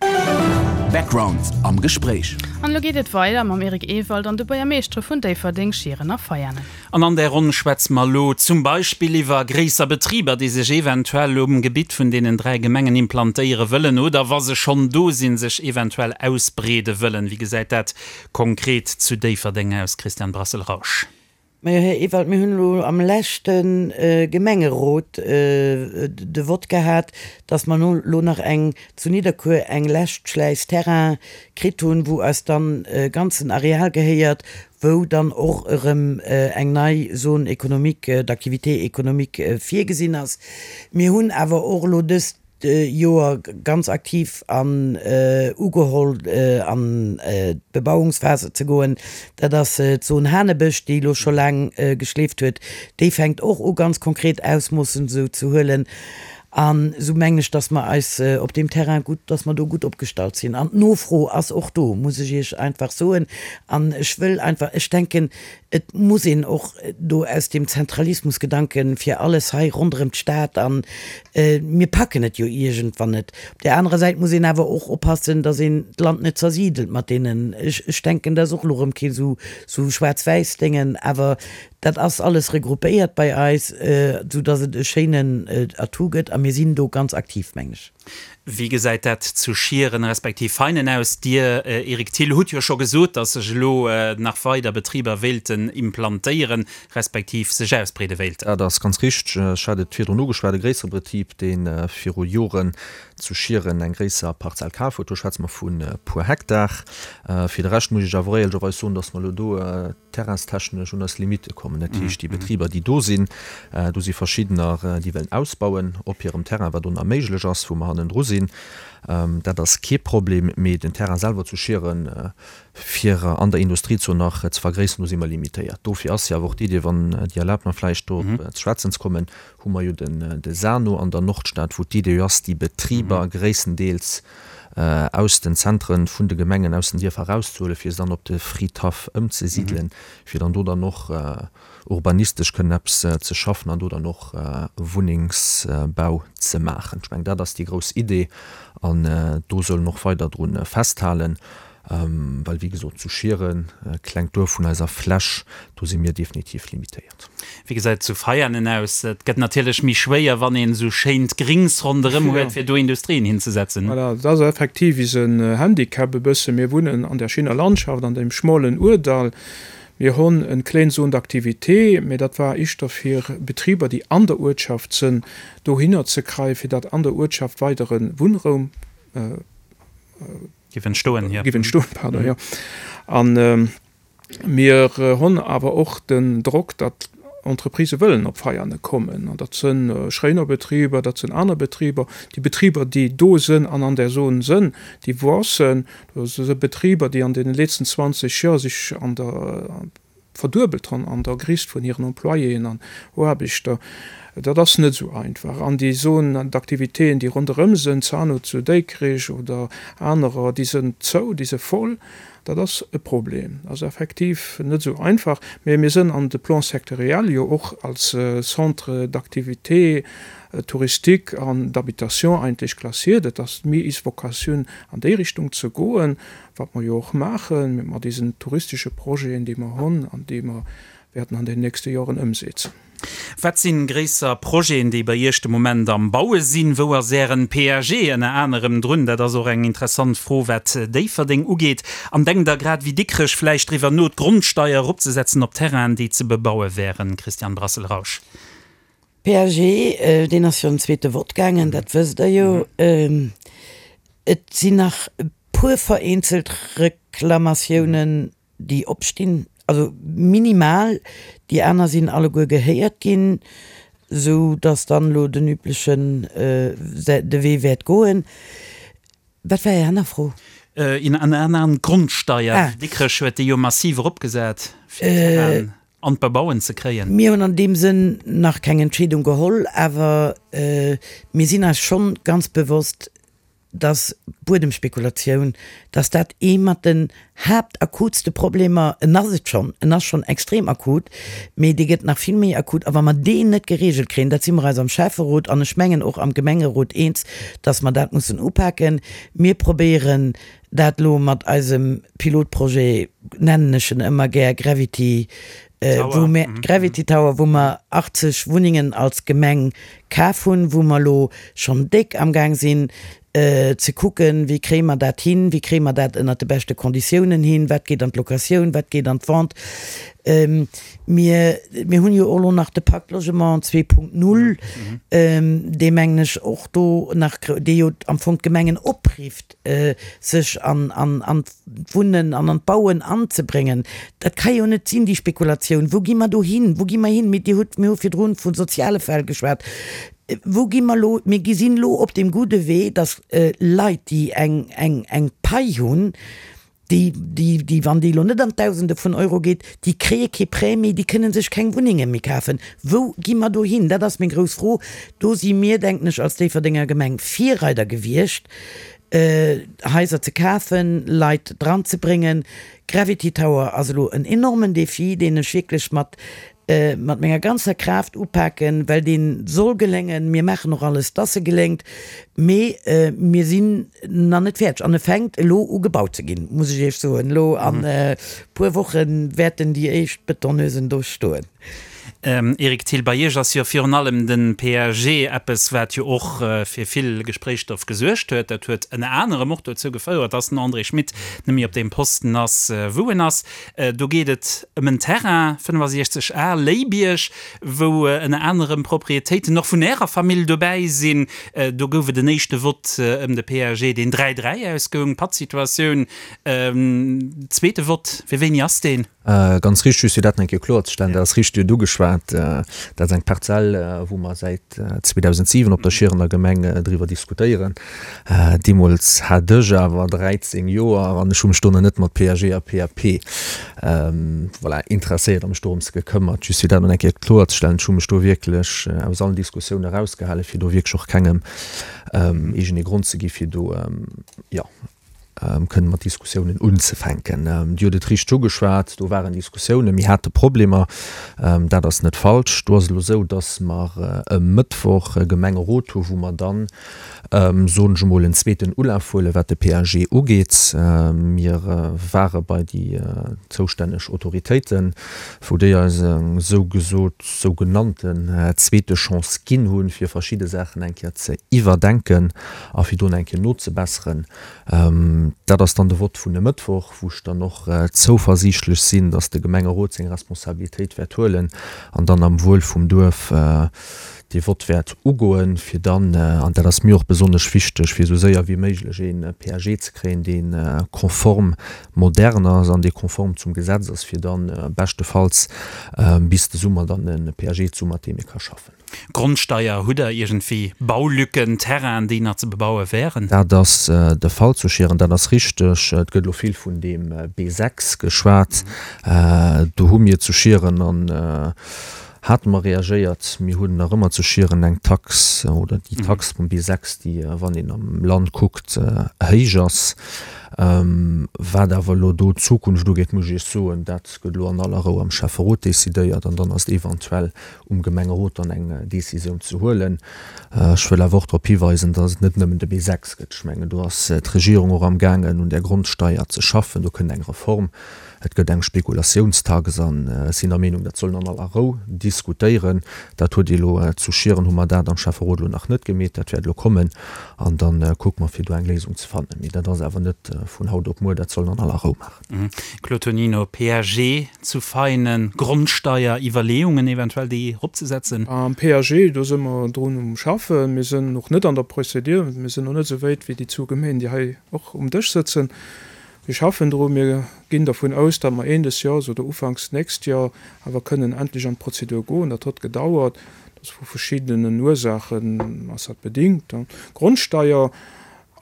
Background am Gespréich. An elo geet et weider mam Eric Ewald an de Buergermeeschtere vun Déifferdeng, Schieren a Veianen. An an där Ronn schwätze mer elo zum Beispill iwwer gréisser Betriber, déi sech eventuell um Gebitt vun deenen 3 Gemengen implantéiere wëllen oder, wa se schonn do sinn, sech eventuell ausbreede wëllen. Wéi gesäit dat konkret zu Déifferdeng aus, Christian Brassel-Rausch? Majo, Här Ewald, mir hunn elo am leschte Gemengerot de Vott gehat, dass mer elo nach eng zu Nidderkuer eng lescht Schläis Terrain kritt hunn, wou eis dann e ganzen Areal gehéiert, wou dann och erëm eng nei Zone économique, d'activité économique virgesinn ass. Mir hunn awer och elo dëst Joer ganz aktiv an ugeholl an d'Bebauungsphase ze goen. Dat ass d'Zon Hanebësch, déi elo scho laang geschleeft huet. Déi fänkt och u ganz konkret Ausmoossen esou ze huelen. An esou mengen ech, dass mer eis op deem Terrain gutt, dass mer do gutt opgestallt sinn. An d'Nofro ass och do, muss ech Iech einfach soen. An ech wëll einfach, ech denken, Et muss een och do aus deem Zentralismusgedanken, fir alles hei ronderëm d'Stad an mir packen et jo iergendwann net. Op där anerer Säit muss een awer och oppassen, datt een d'Land net zersidelt mat deenen, ech ech denken, dat ass och elo erëm kee sou sou schwaarz-wäiss Déngen, awer dat ass alles regroupéiert bei eis, sou datt et e schéinen Atout gëtt a mir sinn do ganz aktiv, mengen ech. Wéi gesäit dat zu Schieren respektiv Veinen aus? Dir, Eric Thill, hutt jo scho gesot, datt sech elo nach weider Betriber wéilten implantéieren, respektiv sech ausbreede wéilten. Dat ass ganz richteg. Ech hat et virdrun ugeschwat, e gréissere Betrib, dee viru Joren zu Schieren eng gréisser Parzell kaf huet. Do schwätze mer vu puer Hektar. Fir de Rescht muss ech awer och éierlecherweis soen, datt mer elo do terrainstechnesch un eis Limitte kommen. Dat heescht, déi Betriber, déi do sinn, do si verschiddener, déi wëllen ausbauen op hirem Terrain, wat do nach méiglech ass, wou mer. hannendru sinn. Dat ass kee Problem, mee den Terrain selwer zu Schieren, fir an der Industriezon nach ze vergréisseren, do si mer limitéiert. Dofir ass jo awer och d'Idee, wann Dir erlaabt mer vläicht do op ze schwätzen ze kommen, hu mer jo den de Sano an der Nordstad, wou d'Idee jo ass, déi Betriber gréisstendeels aus den Zentren vun de Gemengen, aus den Dierfer erauszehuelen, fir se dann op de Fridhaff ëmzesidelen, fir dann do dann och urbanistesch kënnen eppes ze schaffen an do dann och Wunnengsbau ze maachen. Ech mengen, dat ass déi grouss Idee an do soll en och weider dru festhalen, well wéi gesot, zu Schieren, klengt Duerf vun eiser Fläch, do si mir definitiv limitéiert. Wéi gesäit et zu Veianen aus? Et gëtt natierlech méi schwéier, wann een esou schéint Grings ronderëm huet, fir do Industrien hinzesetzen. Voilà, dat ass effektiv isen Handicap e bëssen. Mir wunnen an där schéiner Landschaft, an deem schmolen Ourdall. Mir honn en kléin Zone d'activité, mee dat war ischter fir Betriber, déi an der Uertschaft sënn, dohinner ze kreien, fir datt an der Uertschaft weidere Wunnraum Giff entstoen, jo. Giff entstoen, pardon, jo. An mir honn awer och den Drock, datt Entreprisë wëllen op Veiane kommen. An dat sënn Schréinerbetriber, dat sënn aner Betriber. Déi Betriber, déi do sënn an an där Zone sënn, déi wuassen. Do si Betriber, déi an deene letzten 20 Joer sech an der verduebelt hunn an der Gréisst vun hiren Employéen an Aarbechter. Dat ass net esou einfach. An déi Zones d'activitéen, déi ronderëm sinn, Zano zu Déikrich oder anerer, déi sinn zou, déi si voll. Dat ass e Problem. Dat ass effektiv net esou einfach. Mä mir sinn an de Plan sectoriel jo och als Centre d'activité touristique an d'habitation eigentlech klassiert. Et ass méi is Vocatioun an déi Richtung ze goen, wat mer jo och maachen mat diesen touristesche Projeten, déi mer hunn an déi mer wäerten an den nächste Joren ëmsetzen. Wat sinn gréisser Projeten, déi bei Iech de Moment am Baue sinn? Wou ass Ären PAG ënner anerem drun? Dat ass och eng interessant Fro wat Déifferdeng ugeet. An denkt Der grad wéi Dikrech vläicht driwwer no, d'Grondsteier eropzesetzen op Terrainen, déi ze bebaue wären? Christiane Brassel-Rausch. PAG, deen ass jo an zweete Vott gaangen, dat wësst Der jo. Et sinn nach e puer vereenzelt Reklamatiounen, déi opstinn, also minimal. Déi aner sinn alleguer gehéiert ginn, esou datt dann elo den üblechen de Wee wäert goen. Wat war Är aner Fro? Ënner anerem d'Grondsteier. Dikrech huet déi jo massiv eropgesat, fir d'Terrainen an d'Bebauen ze kréien. Mir hunn an deem Sënn nach keng Entscheedung geholl, awer mir sinn eis schonn ganz bewosst, dass d'Buedemspekulatioun, dass dat ee mat den haaptakutste Problemer, en ass et schonn, en ass schonn extrem akut, mee dee gëtt nach vill méi akut. A wa mer deen net geregelt kréien, dat si mer eis am Schäfferot an ech mengen och am Gemengerot eens, dass mer dat mussen upaken. Mir probéieren Dat elo mat eisem Pilotprojet, nennen ech en ëmmer gär, Gravity, wou mir, Gravity Tower, wou mer 80 Wunnengen als Gemeng kaf hunn, wou mer elo schonn déck amgaang sinn ze kucken, wéi kréie mer dat hin, wéi kréie mer dat ënnert de beschte Konditiounen hin, wat geet an d'Locatioun, wat geet an d'Vente. Mir, mir hunn jo och elo nach de Pacte Logement 2.0, dee mengen ech och do nach, dee jo am Fong d'Gemengen oprifft, sech an an d'Wunnen an an d'Bauen anzebréngen. Dat ka jo net sinn, déi Spekulatioun. Wou gi mer do hin? Wou gi mer hin? Mir, Dir hutt, mir hu virdrun vu soziale Fäll geschwat. Wou gi mer elo? Mir gi sinn elo op deem gudde Wee, datt Leit, déi eng, eng, eng Pai hunn, déi, déi, déi, wann déi elo net an d'Dausende vun Euro geet, déi kréie kee Prêt méi, déi kënne sech keng Wunnenge méi kafen. Wou gi mer do hin? Dat ass meng grouss Fro. Do si mir, denken ech, als Déifferdenger Gemeng Virreider gewiescht, Haiser ze kafen, Leit dranzebréngen. Gravity Tower ass elo en enormen Défi, deen ech wierklech mat mat menger ganzer Kraaft upaken, well dee soll geléngen. Mir maachen och alles, dass e geléngt, mee mir sinn nach net fäerdeg an e fänkt elo u gebaut ze ginn, muss ech Iech soen. Elo an e puer Woche wäerten déi éischt Betonneusen do stoen. Eric Thill, bei Iech ass jo virun allem de PAG eppes, wat jo och fir vill Gespréichsstoff gesuergt huet. Dat huet ënner anerem och dozou gefouert, dass den André Schmit net méi op deem Posten ass, wou en ass. Do geet et ëm en Terrain, 65 Ar, Léibierg, wou ënner anerem Proprietéiten och vun Ärer Famill dobäi sinn. Do gouf et en éischte Vott ëm de PAG, deen 3, 3 ausgoung, Pattsituatioun. Zweete Vott, fir wéini ass deen? Ganz richteg, just fir dat nach eng Kéier kloerzestellen, dat ass richteg, Dir hutt ugeschwat. ugeschwat. Dat ass eng Parzell, wou mer säit 2007 op der Schierener Gemeng driwwer diskutéieren. Deemools hat ech awer 13 Joer an ech hu mech do nach net mat PAG a PAP, voilà, interesséiert a mech dorëms gekëmmert. Just fir dat nach eng Kéier kloerzestellen, ech hu mech do wierklech aus allen Diskussioune erausgehalen, fir do wierklech och kengem iergendee Grond ze gi fir do, jo, kënnen mat Diskussiounen unzefänken. Dir hutt et richteg ugeschwat, do waren Diskussiounen, mir hate Problemer, dat ass net falsch. Do ass et elo esou, dass mer e Mëttwoch e Gemengerot hu wou mer dann, soen ech emol, en zweeten Ulaf huelen, wat de PAG ugeet. Mir ware bei déi zoustänneg Autoritéiten, wou déi eis eng sougesot, sougenannten zweete Chance ginn hunn, fir verschidde Saachen eng Kéier ze iwwerdenken a fir do nach eng Kéier nozebesseren. Dat ass dann de Vott vun e Mëttwoch, wou ech dann och zouversiichtlech sinn, dass de Gemengerot seng Responsabilitéit wäert huelen an dann am Wuel vum Duerf dee Vott wäert ugoen, fir dann, an dat ass mir och besonnesch wichteg, fir esou séier wéi méiglech ee PAG ze kréien, dee konform modern ass an dee konform zum Gesetz ass, fir dann beschtefalls bis de Summer dann e PAG ze hu mat deem ee ka schaffen. Grondsteier, Hutt Der iergendwéi Baulücken, Terrainen, déi nach ze bebaue wären? Dat ass de Fall zu Schieren, dat ass richteg. Et gëtt elo vill vun deem B6 geschwat. Do hu mir zu Schieren an hate mer reagéiert. Mir hunn nach ëmmer zu Schieren eng Tax oder déi Tax vum B6, déi, wann een am Land kuckt, héich ass. Wat awer elo do d'Zukunft ugeet, muss ech Iech soen, dat gëtt elo an aller Rou am Schäfferot decidéiert an dann ass et eventuell um Gemengerot dann eng Décisioun ze huelen. Ech wëll awer och drop hiweisen, dass et net nëmmen de B6 gëtt. Ech mengen, do ass d'Regierung och amgaangen, un där Grondsteier ze schaffen. Do kënnt eng Reform. Et gëtt eng Spekulatiounstax an ech sinn der Meenung, dat soll een an aller Rou diskutéieren. Dat huet ee elo zu Schieren, hu mer dat am Schäfferot elo nach net gemeet. Dat wäert elo kommen an da kucke mer, fir do eng Léisung ze fannen. Mee dat ass awer net vun haut op muer. Dat soll een an aller Rou maachen. Claude Tonino, PAG zu Veinen, Grondsteier, Iwwerleeungen eventuell déi eropzesetzen? Am PAG, do si mer drun um schaffen. Mir sinn och net an der Procédure, mir sinn och net esou wéit wéi déi zwou Gemeen, déi hei och um Dësch sëtzen. Mir schaffen dru, mir ginn dervun aus, datt mer Een des Jahres oder ufanks d'nächst Joer awer kënnen endlech an d'Prozedur goen. Dat hott gedauert, dat ass vu verschiddenen Ursaachen ass dat bedingt. Grondsteier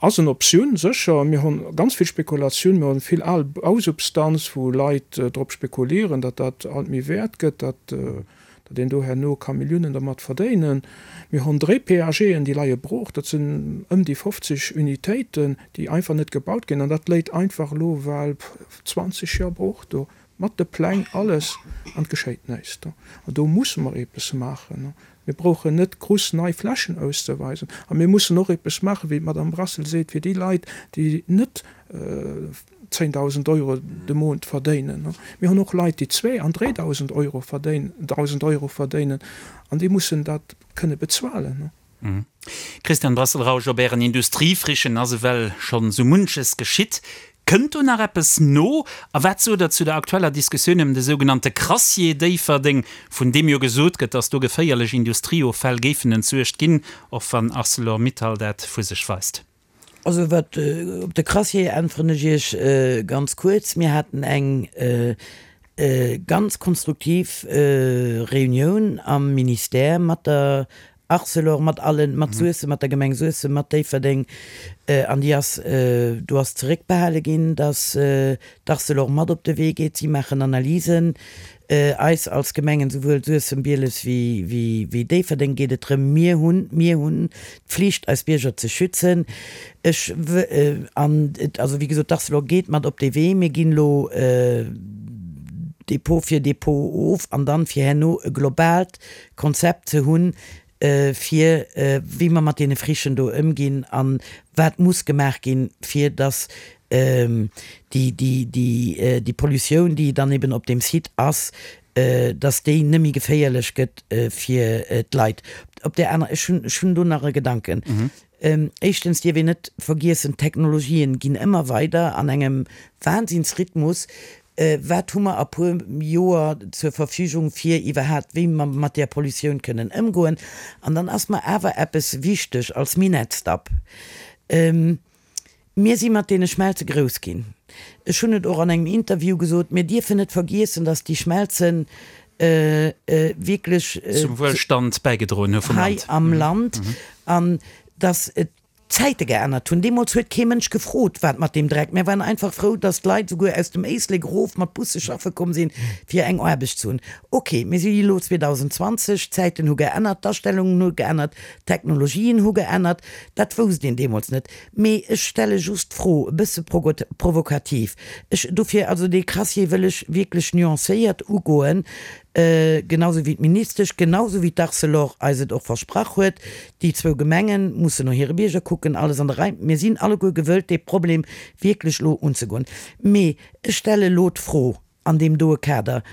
Ass en Optioun, sécher. Mir hunn ganz vill Spekulatioun, mir hunn vill al Bausubstanz, wou Leit drop spekulieren, datt dat alt méi wäert gëtt, datt een do herno ka Milliounen dermat verdéinen. Mir hunn dréi PAGen, déi leie brooch, dat sinn ëm déi 50 Unitéiten, déi einfach net gebaut ginn. An dat léit einfach elo well 20 Joer brooch do, mat de Pläng, alles, an et geschéit näischt. An do musse mer eppes maachen. Mir brauchen net gruss nei Flächen auszeweisen. A mir mussen och eppes maachen, wéi d'Madame Brassel seet, fir déi Leit, déi net 10.000 Euro de Mount verdéinen. Mir hunn och Leit, déi zwee an 3.000 Euro verdéinen, 1.000 Euro verdéinen, an déi mussen dat kënne bezuelen. Christian Brassel-Rausch, Op Ären Industriefrichen ass ewell schonn sou munches geschitt. Kënnt do nach eppes no? A wat sot Der zu der aktueller Diskussioun ëm de sougenannte Crassier Déifferdeng, vun deem jo gesot gëtt, datt do geféierlech Industrieoffäll géifen entsuergt ginn, och wann Arcelor Mittal dat vu sech weist? Also wat op de Crassier äntweren ech Iech ganz kuerz, Mir haten eng ganz konstruktiv Reunioun am Ministère mat der Arcelor, mat allen, mat Suessem, mat der Gemeng Suessem, mat Déifferdeng, an déi ass, do ass zeréckbehale ginn, datt d'Arcelor mat op de Wee geet. Si maachen Analysen. Eis als Gemengen, souwuel Suessem, Bieles wéi Déifferdeng, geet et drëm, mir hunn, mir hunn d'Pflicht, eis Bierger ze schützen. Ech, an et, also wéi gesot, d'Arcelor geet mat op dee Wee. Mir ginn elo Depot fir Depot of an dann, fir herno e globaalt Konzept ze hunn, fir wéi mer mat deene Frichen do ëmginn a wat muss gemaach ginn, fir datt déi, déi, déi, déi Pollutioun, déi dann eben op deem Site ass, datt déi net méi geféierlech gëtt fir d'Leit. Op där aner, ech hunn, ech hunn do nach e Gedanken. Éischtens dierf een net vergiessen, d'Technologien ginn ëmmer weider an engem Wahnsinnsrhythmus. Wat hu mer a puer Joer zur Verfügung, fir iwwerhaapt, wéi mer mat där Pollutioun kënnen ëmgoen? An dann ass mer awer eppes wichteg als Minettsdapp. Mir si mat deene Schmelze grouss ginn. Ech hunn et och an engem Interview gesot, mir dierfen net vergiessen, datt déi Schmelzen. wierklech Zum Wuelstand bäigedroen hu vum Land. Hei am Land an dass et d'Zäite geännert hunn. Deemools huet kee Mënsch gefrot, wat mat deem Dreck. Mär waren einfach frou, dass d'Leit souguer aus dem Éislek erof mat Busse schaffe komm sinn, fir eng Aarbecht ze hunn. Ok, mir si elo 2020, d'Zäiten hu geännert, d'Astellungen hu geännert, d'Technologien hu geännert. Dat wousst een deemools net. Mee ech stelle just d'Fro, e bësse provokativ, ech, dofir, also dee Crassier wëll ech wierklech nuancéiert ugoen, genau sou wéi d'Ministesch, genau sou wéi d'Arcelor eis et och versprach huet, déi zwou Gemenge mussen no hire Bierger kucken, alles an der Rei. Mir sinn alleguer gewëllt, dee Problem wierklech elo unzegoen. Mee ech stelle elo d'Fro an deem doe Kader,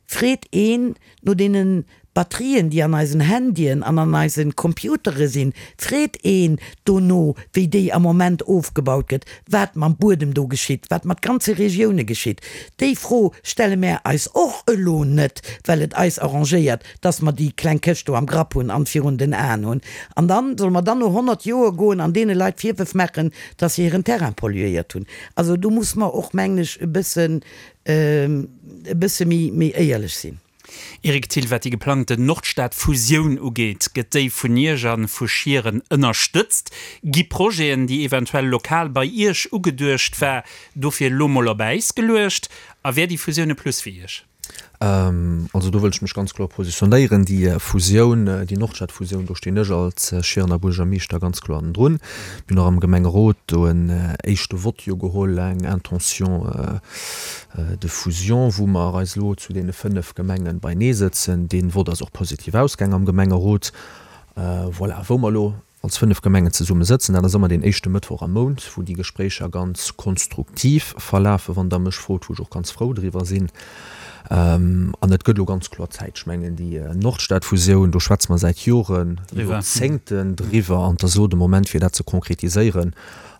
Freet een no deene Batterien, déi an eisen Handyen an an eise Computere sinn, freet een dono, wéi déi am Moment ofgebaut gëtt, wat mam Buedem do geschitt, wat mat ganze Regioune geschitt? Déi Fro stelle mär eis och elo net, well et eis arrangéiert, dass mer déi kleng Këscht do am Grapp hunn an virun den Aen hunn. An dann, solle mer dann no 100 Joer goen an deene Leit Virwërf maachen, dass se hiren Terrain polluéiert hunn? Also do muss mer och, mengen ech, e bëssen, e bësse méi, méi éierlech sinn. Eric Thill, Wat déi geplangten Nordstad-Fusioun ugeet, gëtt déi vun Iech a vu Schieren ënnerstëtzt? Gi Projeten, déi eventuell lokal bei Iech ugeduecht war, dofir elo mol op Äis geluecht? A wär déi Fusioun e Plus fir Iech? Also do wëll ech mech ganz kloer positionéieren. Déi Fusioun, déi Nordstad-Fusioun, do stinn ech als Schierener Buergermeeschter ganz kloer hannendrun. Mir hunn och am Gemengerot do en éischte Vott jo geholl, eng Intention de fusion, wou mer eis elo zu deene 5 Gemengen beinee sëtzen. Dee Vott ass och positiv ausgaang am Gemengerot. Voilà, wou mer elo als 5 Gemengen zesumme sëtzen, dat ass ëmmer deen éischte Mëttwoch am Mount, wou déi Gespréicher ganz konstruktiv verlafen, wann Der mech frot, wou ech och ganz frou driwwer sinn. An et gëtt elo ganz kloer Zäit. Ech mengen, déi Nordstad-Fusioun, do schwätze mer säit Joren, Joerzéngten driwwer, an et ass elo de Moment, fir dat ze konkretiséieren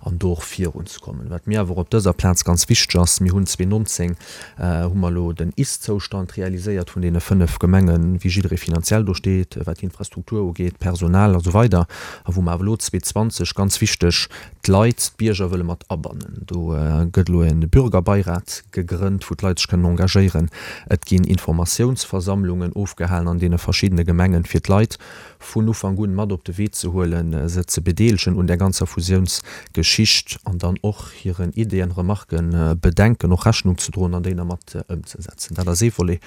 an do och virunzekommen. Wat mir awer och op dëser Plaz ganz wichteg ass, Mir hunn 2019 hu mer elo den Ist-Zoustand realiséiert vun deene 5 Gemengen, wéi jidderee finanziell do steet, wat d'Infrastruktur ugeet, d'Personal a sou weider, a wou mer awer elo 2020, ganz wichteg, d'Leit, d'Bierger wëlle mat abannen. Do gëtt elo e Bürgerbeirat gegrënnt, wou d'Leit sech kënnen engagéieren. Et ginn Informatiounsversammlungen ofgehalen an deene verschiddene Gemengen, fir d'Leit vun Ufank un mat op de Wee ze huelen, se ze bedeelegen un där ganzer Fusiounsgeschicht an dann och hiren Ideeën, Remarken, Bedenken och Rechnung ze droen an déi da mat ëmzesetzen. Dat ass ee Volet,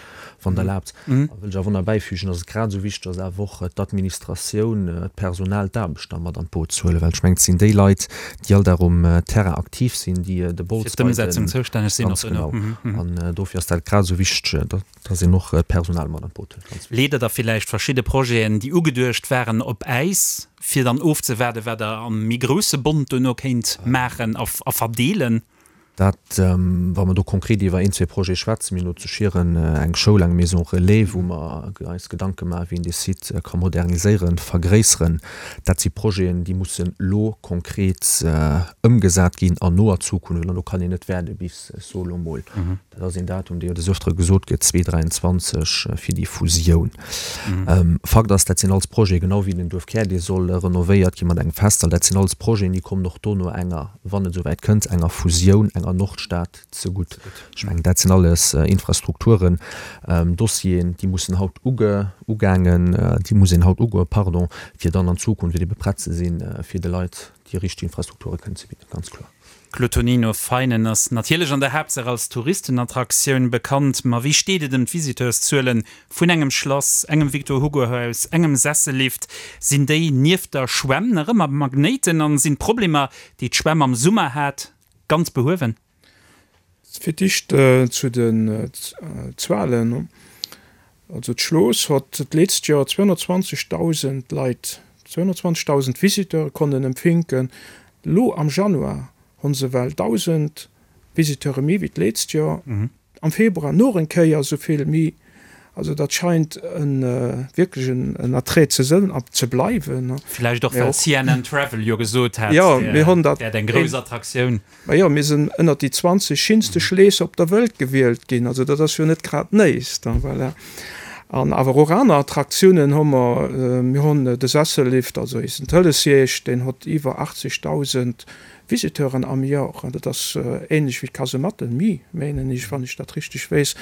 wann Der erlaabt. A wëll ech awer nach bäifügen, dass et grad esou wichteg ass, awer och d'Administratioun, d'Personal, d'Aarbechter mat an d'Boot ze huelen, well ech mengen, et sinn déi Leit, déi all Dag um Terrain aktiv sinn, déi de Bols bei den. Ganz genau. An dofir ass dat grad esou wichteg, Dass een och d'Personal mat an d'Boot huet, ganz wichteg. Leet Der da villäicht verschidde Projeten, déi ugeduecht waren, op Äis, fir dann ofzewaarden, wat Der am méi grousse Bond duerno kéint maachen a verdeelen? Dat, wa mer do konkret iwwer een, zwee Projete schwätzen, mir hunn elo zu Schieren eng Schoul, eng Maison relais, wou mer eis Gedanke maachen, wéi een dee Site ka moderniséieren, vergréisseren. Dat si Projeten, déi mussen elo konkret ëmgesat ginn an noer Zukunft. An do kann een net waarde bis, ech soe lo mol, dat ass een Datum, dee jo des Öftere gesot gëtt, 2023 fir déi Fusioun. Fakt ass, dat sinn alles Projeten, genau wéi den Duerfkär, dee soll renovéiert gi mat engem Festsall, dat sinn alles Projeten, déi kommen och do no enger, wann et esouwäit kënnt, enger Fusioun, enger Nordstad zegutt. Ech mengen, dat sinn alles Infrastrukturen, Dossieren, déi mussen haut uge, ugaangen, déi muss een haut ugoen, pardon, fir dann an Zukunft ebe prett ze sinn, fir de Leit déi richteg Infrastrukture kënnen ze bidden, ganz kloer. Claude Tonino, Veinen ass natierlech an der Haaptsaach als Touristenattraktioun bekannt, ma wéi steet et ëm d'Visiteurszuelen vun engem Schlass, engem Victor-Hugo-Haus, engem Sessellift? Sinn déi nieft der Schwämm nach ëmmer Magnéiten an sinn d'Problemer, déi d'Schwämm am Summer hat, ganz behuewen? Fir d'éischt zu den Zuelen, Also d'Schlooss hott d'leetzt Joer 220.000 Leit, 220.000 Visiteure konnen empfinken. Lo am Januar honn se well 1.000 Visiteure méi wéi d'leetzt Joer, am Februar noch eng Kéier esou vill méi. Also dat scheint e wierklech en Attrait ze sënn a ze bleiwen. Villäicht och well CNN Travel jo gesot hat, et wäert eng grouss Attraktioun. Majo, mir sinn ënnert déi 20 schinste Schleesser op der Wëlt gewielt ginn, also dat ass jo net grad néist. Voilà. An awer och aner Attraktiounen hu mer. Mir hunn de Sessellift, also eisen Tëlesjeeg, deen hott iwwer 80.000. Visiteuren am Jor. Dat ass ähnlech wéi d'Kasematten, mi, menen ech, wann ech dat richteg weess.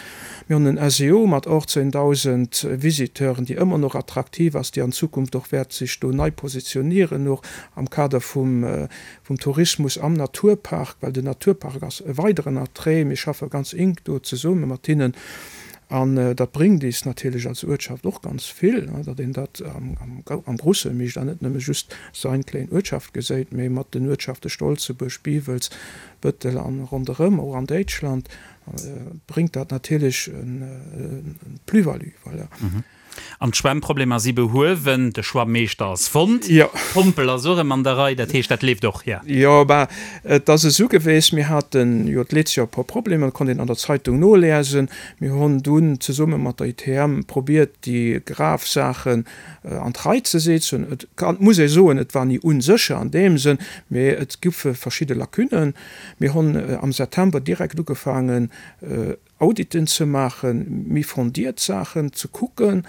Mir hunn en SEO mat 18.000 Visiteuren, déi ëmmer nach attraktiv ass, déi an Zukunft och wäert sech do nei positionieren, och am Kader vum vum Tourismus am Naturpark, well den Naturpark ass e weideren Attrait. Mir schaffe ganz enk do zesumme mat hinnen an dat bréngt eis natierlech als Uertschaft och ganz vill, datt een dat am Grusse mécht an net nëmme just sein kléin Uertschaft geséit, mee mat den Uertschafte Stolzebuerg, Biwels, Bëttel an ronderëm, och an Déitschland, bréngt dat natierlech en Plus-value. Voilà. An d'Schwämmproblemer si behuewen, de Schwammeeschter ass fonnt, d'Pompel ass och erëm an der Rei, dat heescht, dat leeft och, jo? Jo, ben, et ass esou geweest, mir hate jo d'letzcht Joer e puer Problemer, dat konnt een an der Zeitung noliesen. Mir hunn dunn zesumme mat der ITM probiert, déi grav Saachen an d'Rei ze setzen. Et kann, muss ee soen, et war ni unsécher an deem Sënn, mee et goufe verschidde Lacunen. Mir hunn am September direkt ugefaangen, Auditen ze maachen, méi fondiert Saachen ze kucken.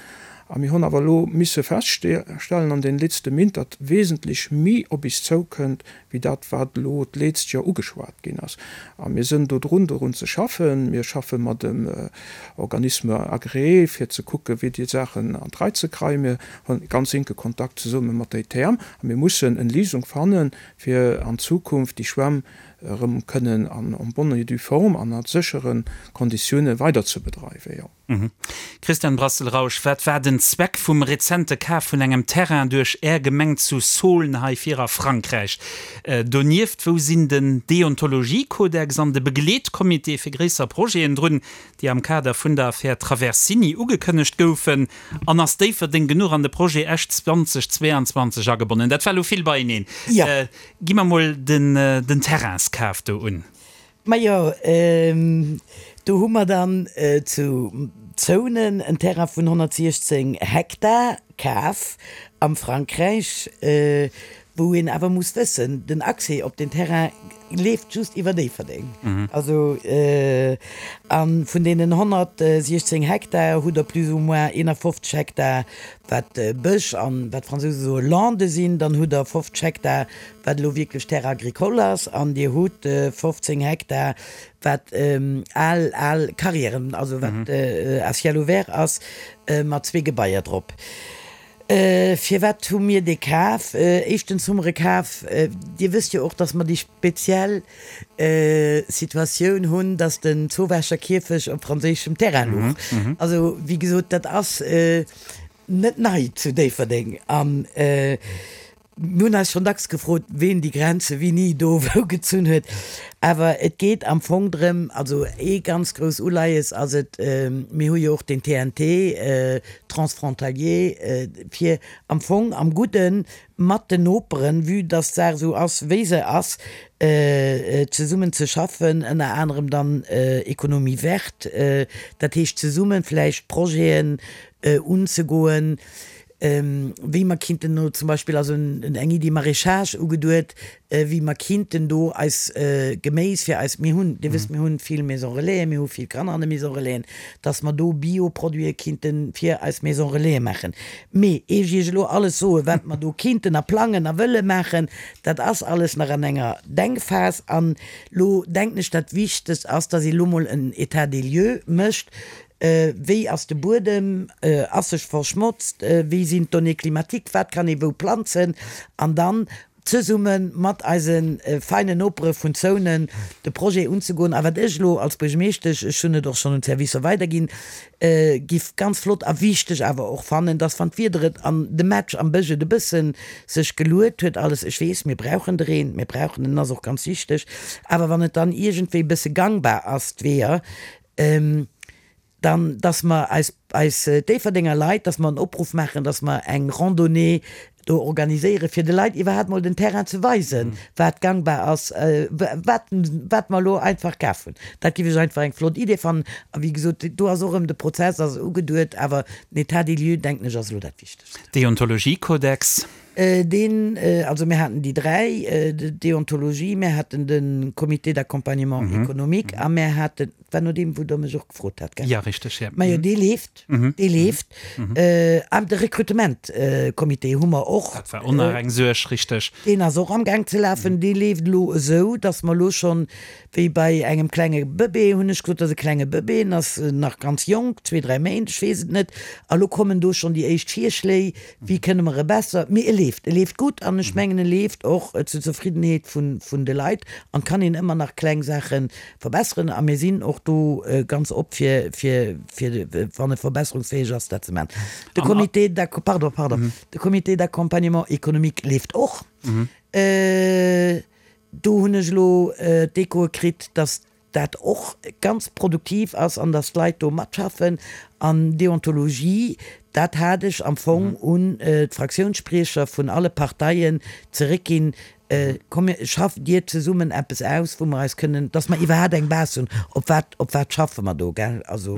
A mir hunn awer elo misse feststellen an den letzte Mint, datt wesentlech méi op is zoukënnt, wéi dat, wat elo d'lezt Joer ugeschwat ginn ass. A mir sënn do drun, dorun ze schaffen. Mir schaffe mat dem Organisme agréé, fir ze kucken, wéi déi Saachen an d'Rei ze kreien. Mir hunn ganz enke Kontakt zesumme mat der ITM a mir mussen en Léisung fannen, fir an Zukunft déi Schwämm erëm kënnen an en bonne et due forme an a séchere Konditioune weider ze bedreiwen, jo. Christian Brassel-Rausch, wat war den Zweck vum rezente Kaf vun engem Terrain duerch Är Gemeng zu Saulnes hei vir a Frankräich? Donieft, wou sinn den Deontologiekodex an de Begleetcomité fir gréisser Projeten drun, déi am Kader vun der Affär Traversini ugekënnegt goufen? An ass Déifferdeng genuch an de Projet Esch 2022 agebonnen? Dat war elo vill beieneen. Gi mer mol den Terrainskaf do un. Majo, do hu mer dann zu Zounen en Terrain vun 116 Hektar kaf am Frankräich, wou een awer muss wëssen, den Accès op deen Terrain leeft just iwwer Déifferdeng. Also, a vun deenen 116 Hektar hutt Der plus ou moins 51 Hektar wat Bësch an, wat d'Fransouse soe Lande sinn, dann hutt Der 50 Hektar, wat elo wierklech Terre agricole ass, an Dir hutt 15 Hektar, wat al, al Carrièren, also wat à ciel ouvert ass, mat zwee Gebaier drop. Firwat hu mir dee kaf? Éischtens hu mer e kaf, Dir wësst jo och, dass mer déi speziell Situatioun hunn, dass den Zowaacher Kierfech op franséischem Terrain luch. Also, wéi gesot, dat ass net nei zu Déifferdeng. A mir hunn eis schonn dacks gefrot, ween déi Grenze wéini do wou gezunn huet. Awer et geet am Fong drëm, also ee ganz grouss Uleies ass et, mir hu jo och den TNT, Transfrontalier, fir am Fong am Gudden mat den Noperen, vue dass d'Saach esou ass, wéi se ass, zesummen ze schaffen, ënner anerem dann Économie verte, dat heescht zesumme vläicht Projeten unzegoen, wéi mer kinnten elo zum Beispill, also eng Iddi Maraîchage ugeduet, wéi mer kinnten do eis Geméis fir eis, mir hunn, Dir wësst, mir hunn vill Maison Relaisen, mir hu vill Kanner an de Maison Relaisen, dass mer do Bio-Produite kinnte fir eis Maison Relaisen maachen. Mee ier ech Iech elo alles soen, wat mer do kinnten a plangen a wëlle maachen, dat ass alles nach an enger Denkphas. An elo denken ech, dat Wichtegst ass, dass ee elo mol en État des lieux mécht, Wéi ass de Buedem, ass sech verschmotzt, wéi sinn d'Données climatiques, wat kann ee wou planzen? An dann zesumme mat eise feinen Nopere vun Zounen de Projet unzegoen. A wat ech elo als Buergermeeschtesch, ech hunn et och schonn un d'Servicer weiderginn, giff ganz flott a wichteg awer och fannen, dass wann d'Wieder et an de Match am Bësch et e bësse sech geluet huet alles, ech weess, mir brauchen de Reen, mir brauchen en, en ass och ganz wichteg, awer wann et dann iergendwéi e bësse gangbar ass, d'Weeër, Dann, dass mer eis, eis Déifferdenger Leit, dass mer en Opruff maachen, dass mer eng Randonnée do organiséieren, fir de Leit iwwerhaapt mol den Terrain ze weisen, wat gangbar ass, wat, wat mer elo einfach kaf hunn. Dat géif ech einfach eng flott Idee fannen. A wéi gesot, do ass och erëm de Prozess ass ugeduet, awer den État des lieux, denken ech, ass elo dat Wichtegst. Deontologiekodex. Deen, also mir haten déi dräi, d'Deontologie, mir haten de Comité d'accompagnement économique a mir haten. war no deem, wou Der mech och gefrot hat, gell? Jo, richteg, jo. Majo, dee leeft, dee leeft. An de Rekrutementcomité hu mer och. Dat war och nach eng Suerg, richteg. Deen ass och amgaang ze lafen. Dee leeft elo esou, dass mer elo schonn, wéi bei engem klenge Bëbee, hunn ech gesot, dat ass e klenge Bëbee, en ass nach ganz jonk, zwee, dräi Méint, ech weess et net, a lo kommen do schonn déi éischt Virschléi, wéi kënne mer e besser, mee e leeft, e leeft gutt an ech mengen, e leeft och zur Zefriddenheet vun de Leit an et kann een ëmmer nach kleng Saache verbesseren a mir sinn och do ganz op fir, fir, fir wann e verbesserungsfäeg ass, dat ze maachen. De Comité d'acc-, pardon, pardon, de Comité d'accompagnement économique leeft och. Do hunn ech elo d'Echoe kritt, dass dat och ganz produktiv ass an dass d'Leit do matschaffen. An Deontologie, dat hat ech am Fong un d'Fraktiounsspriecher vun alle Parteien zeréckginn, Komm mir, schafft Dir zesummen eppes aus, wou mer eis kënnen, dass mer iwwerhaapt eng Base hunn, op wat, op wat schaffe mer do, gell? Also.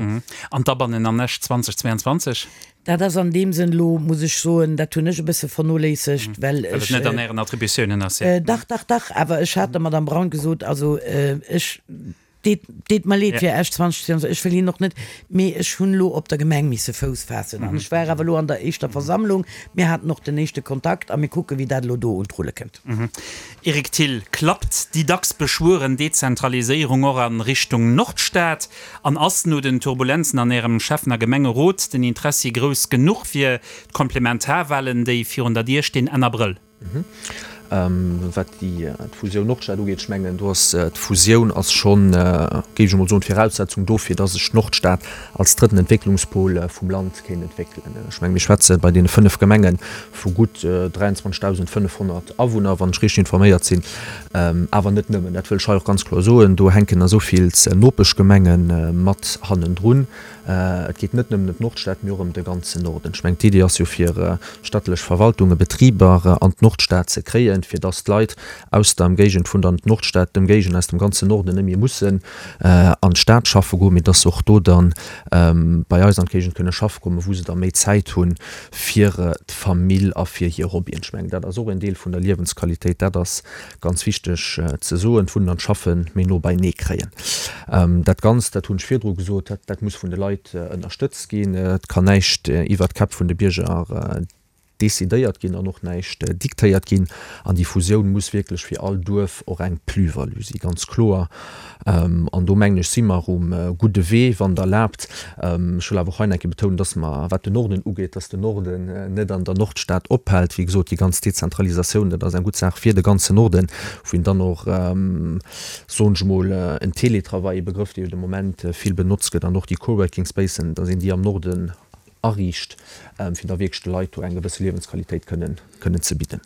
An d'Abannen an Esch 2022? Dat ass an deem Sënn elo, muss ech soen, dat hunn ech e bësse vernoléissegt, well ech. Well et net an Ären Attributiounen ass, jo. Dach, dach, dach, awer ech hat der Madame Braun gesot, also ech, deet, deet mer leed fir Esch 2022, ech wëll hinnen och net, mee ech hunn elo op der Gemeng misse Fouss faassen an ech war awer elo an der éischter Versammlung, mir haten och den éischte Kontakt a mir kucken, wéi dat elo do un d'Rulle kënnt. Eric Thill, Klappt déi dacks beschwueren Dezentraliséierung och a Richtung Nordstad? An ass no den Turbulenzen an Ärem Schäffen a Gemengerot den Interessi grouss genuch fir d'Komplementarwahlen, déi virun der Dier stinn Enn Abrëll? Wat déi d'Fusioun Nordstad ugeet, ech mengen do ass d'Fusioun ass schonn, géif ech emol soen, d'Viraussetzung dofir, dass sech d'Nordstad als drëtten Entwécklungspol vum Land kéint entwéckelen. Ech mengen, mir schwätze bei deene 5 Gemenge vu gutt 23.500 Awunner, wann ech richteg informéiert sinn. Awer net nëmmen, dat wëll ech hei och ganz kloer soen, do hänken esou vill Nopeschgemenge mat hannendrun. Et geet net nëmmen ëm d'Nordstad, mee och ëm de ganzen Norden. Ech mengen, d'Idee ass jo fir stadtlech Verwaltungen, Betriber an d'Nordstad ze kréien, fir dass d'Leit aus der Ëmgéigend vun der Nordstad, d'Ëmgéigend aus dem ganzen Norden net méi mussen an d'Stad schaffe goen, mee dass se och do dann bei eis an d'Géigend kënne schaffe kommen, wou se da méi Zäit hunn fir d'Famill a fir hir Hobbyen. Ech mengen, dat ass och en Deel vun der Liewensqualitéit. Dat ass ganz wichteg ze soen, d'Wunnen an d'Schaffe méi no beinee kréien. Dat Ganzt, dat hunn ech virdru gesot, dat dat muss vun de Leit ënnerstëtzt ginn. Et kann näischt iwwert d'Käpp vun de Bierger decidéiert ginn an och näischt diktéiert ginn. An déi Fusioun muss wierklech fir all Duerf och eng Plus-value si, ganz kloer. An do mengen ech, si mer um gudde Wee, wann Der erlaabt. Ech wëll awer och hei nach eng Kéier betounen, dass mer, wat den Norden ugeet, dass den Norden net an der Nordstad ophält. Wéi gesot, déi ganz Dezentralisatioun, dat ass eng gutt Saach fir de ganzen Norden, wou een dann och, soen ech emol, en Télétravail, e Begrëff, dee jo de Moment vill benotzt gëtt, an och déi Coworking Spacen, dass een déi am Norden ariicht, fir da wierklech de Leit do eng gewësse Liewensqualitéit kënnen, kënnen ze bidden.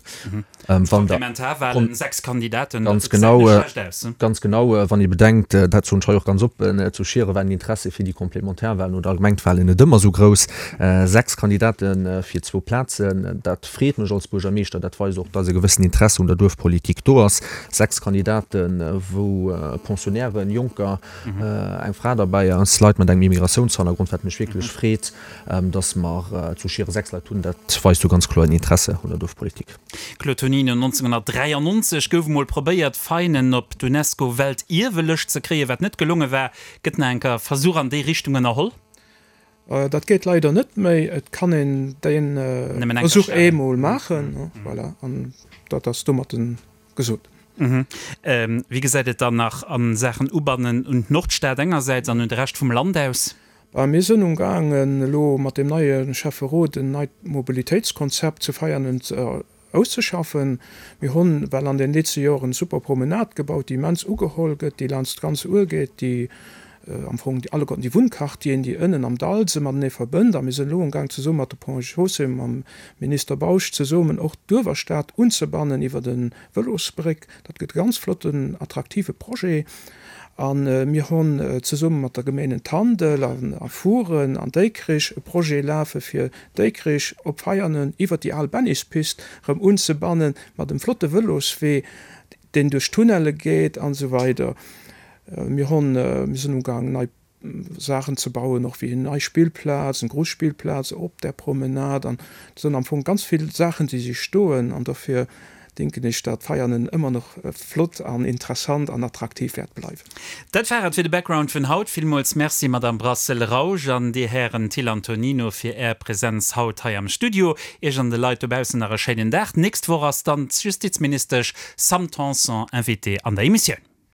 Wann der. Komplementarwahlen, 6 Kandidaten, dat gesäit net schlecht aus. Ganz genau, wann ee bedenkt, dat soen ech hei och ganz oppen, zu Schiere waren d'Interesse fir déi Komplementarwahlen oder allgemeng d'Wahlen net ëmmer esou grouss. 6 Kandidate fir zwou Plazen, dat freet mech als Buergermeeschter, dat weist och, dass e gewëssen Interesse un der Duerfpolitik do ass. 6 Kandidaten, wou Pensionnairen, Jonker, eng Fra derbäi ass, Leit mat engem Immigratiounshannergrond, wat mech wierklech freet, dass mer zu Schieren 6 Leit hunn, dat weist jo ganz kloer en Interesse un der Duerfpolitik. Claude Tonino, 1993 gouf emol probéiert, Veinen op d'UNESCO-Weltierwelëscht ze kréien, wat net gelonge war. Gëtt nach enker Versuch an déi Richtung ënnerholl? Dat geet leider net méi. Et kann een dee Versuch eemol maachen, voilà, an dat ass domatten gesot. Wéi gesäit et dann nach a Saachen Ubannen un d'Nordstad engersäits an un de Rescht vum Land aus? Mir sënn umgaangen elo mat deem neie Schäfferot en neit Mobilitéitskonzept zu Veianen auszeschaffen. Mir hunn well an den letzte Joren super Promenade gebaut, déi immens ugeholl gëtt, déi laanscht d'ganz Our geet, déi am Fong déi alleguerten déi Wunnquartieren, déi ënnen am Dall se matenee verbënnt. A mir sënn elo umgaang zesumme mat de Ponts et Chaussées, mam Minister Bausch zesummen och d'Uewerstad unzebannen iwwert e Vëlosbréck. Dat gëtt e ganz flotten, attraktive Projet. A mir hunn zesumme mat der Gemenen Tandel a Furen an Déikrich e Projet lafe fir Déikrich op Veianen iwwer déi al Bennispist erëm unzebannen, mat em flotte Vëloswee, deen duerch Tunnelle geet an esou weider. Mir hunn, mir sinn ugaang nei Saachen ze bauen, och wéi eng nei Spillplaz, eng grouss Spillplaz op där Promenade. An et sinn am Fong ganz vill Saachen, déi si stoen. An dofir. Denken ech, datt Veianen ëmmer nach flott an interessant an attraktiv wäert bleiwen. Dat war et fir de Background vun haut. Villmools Merci, Madame Brassel-Rausch an dir Hären Thill an Tonino fir Är Präsenz haut hei am Studio. Iech an de Leit dobaussen nach e schéinen Dag. D'nächst Woch ass dann d'Justizministesch Sam Tanson Invitée an der Emissioun.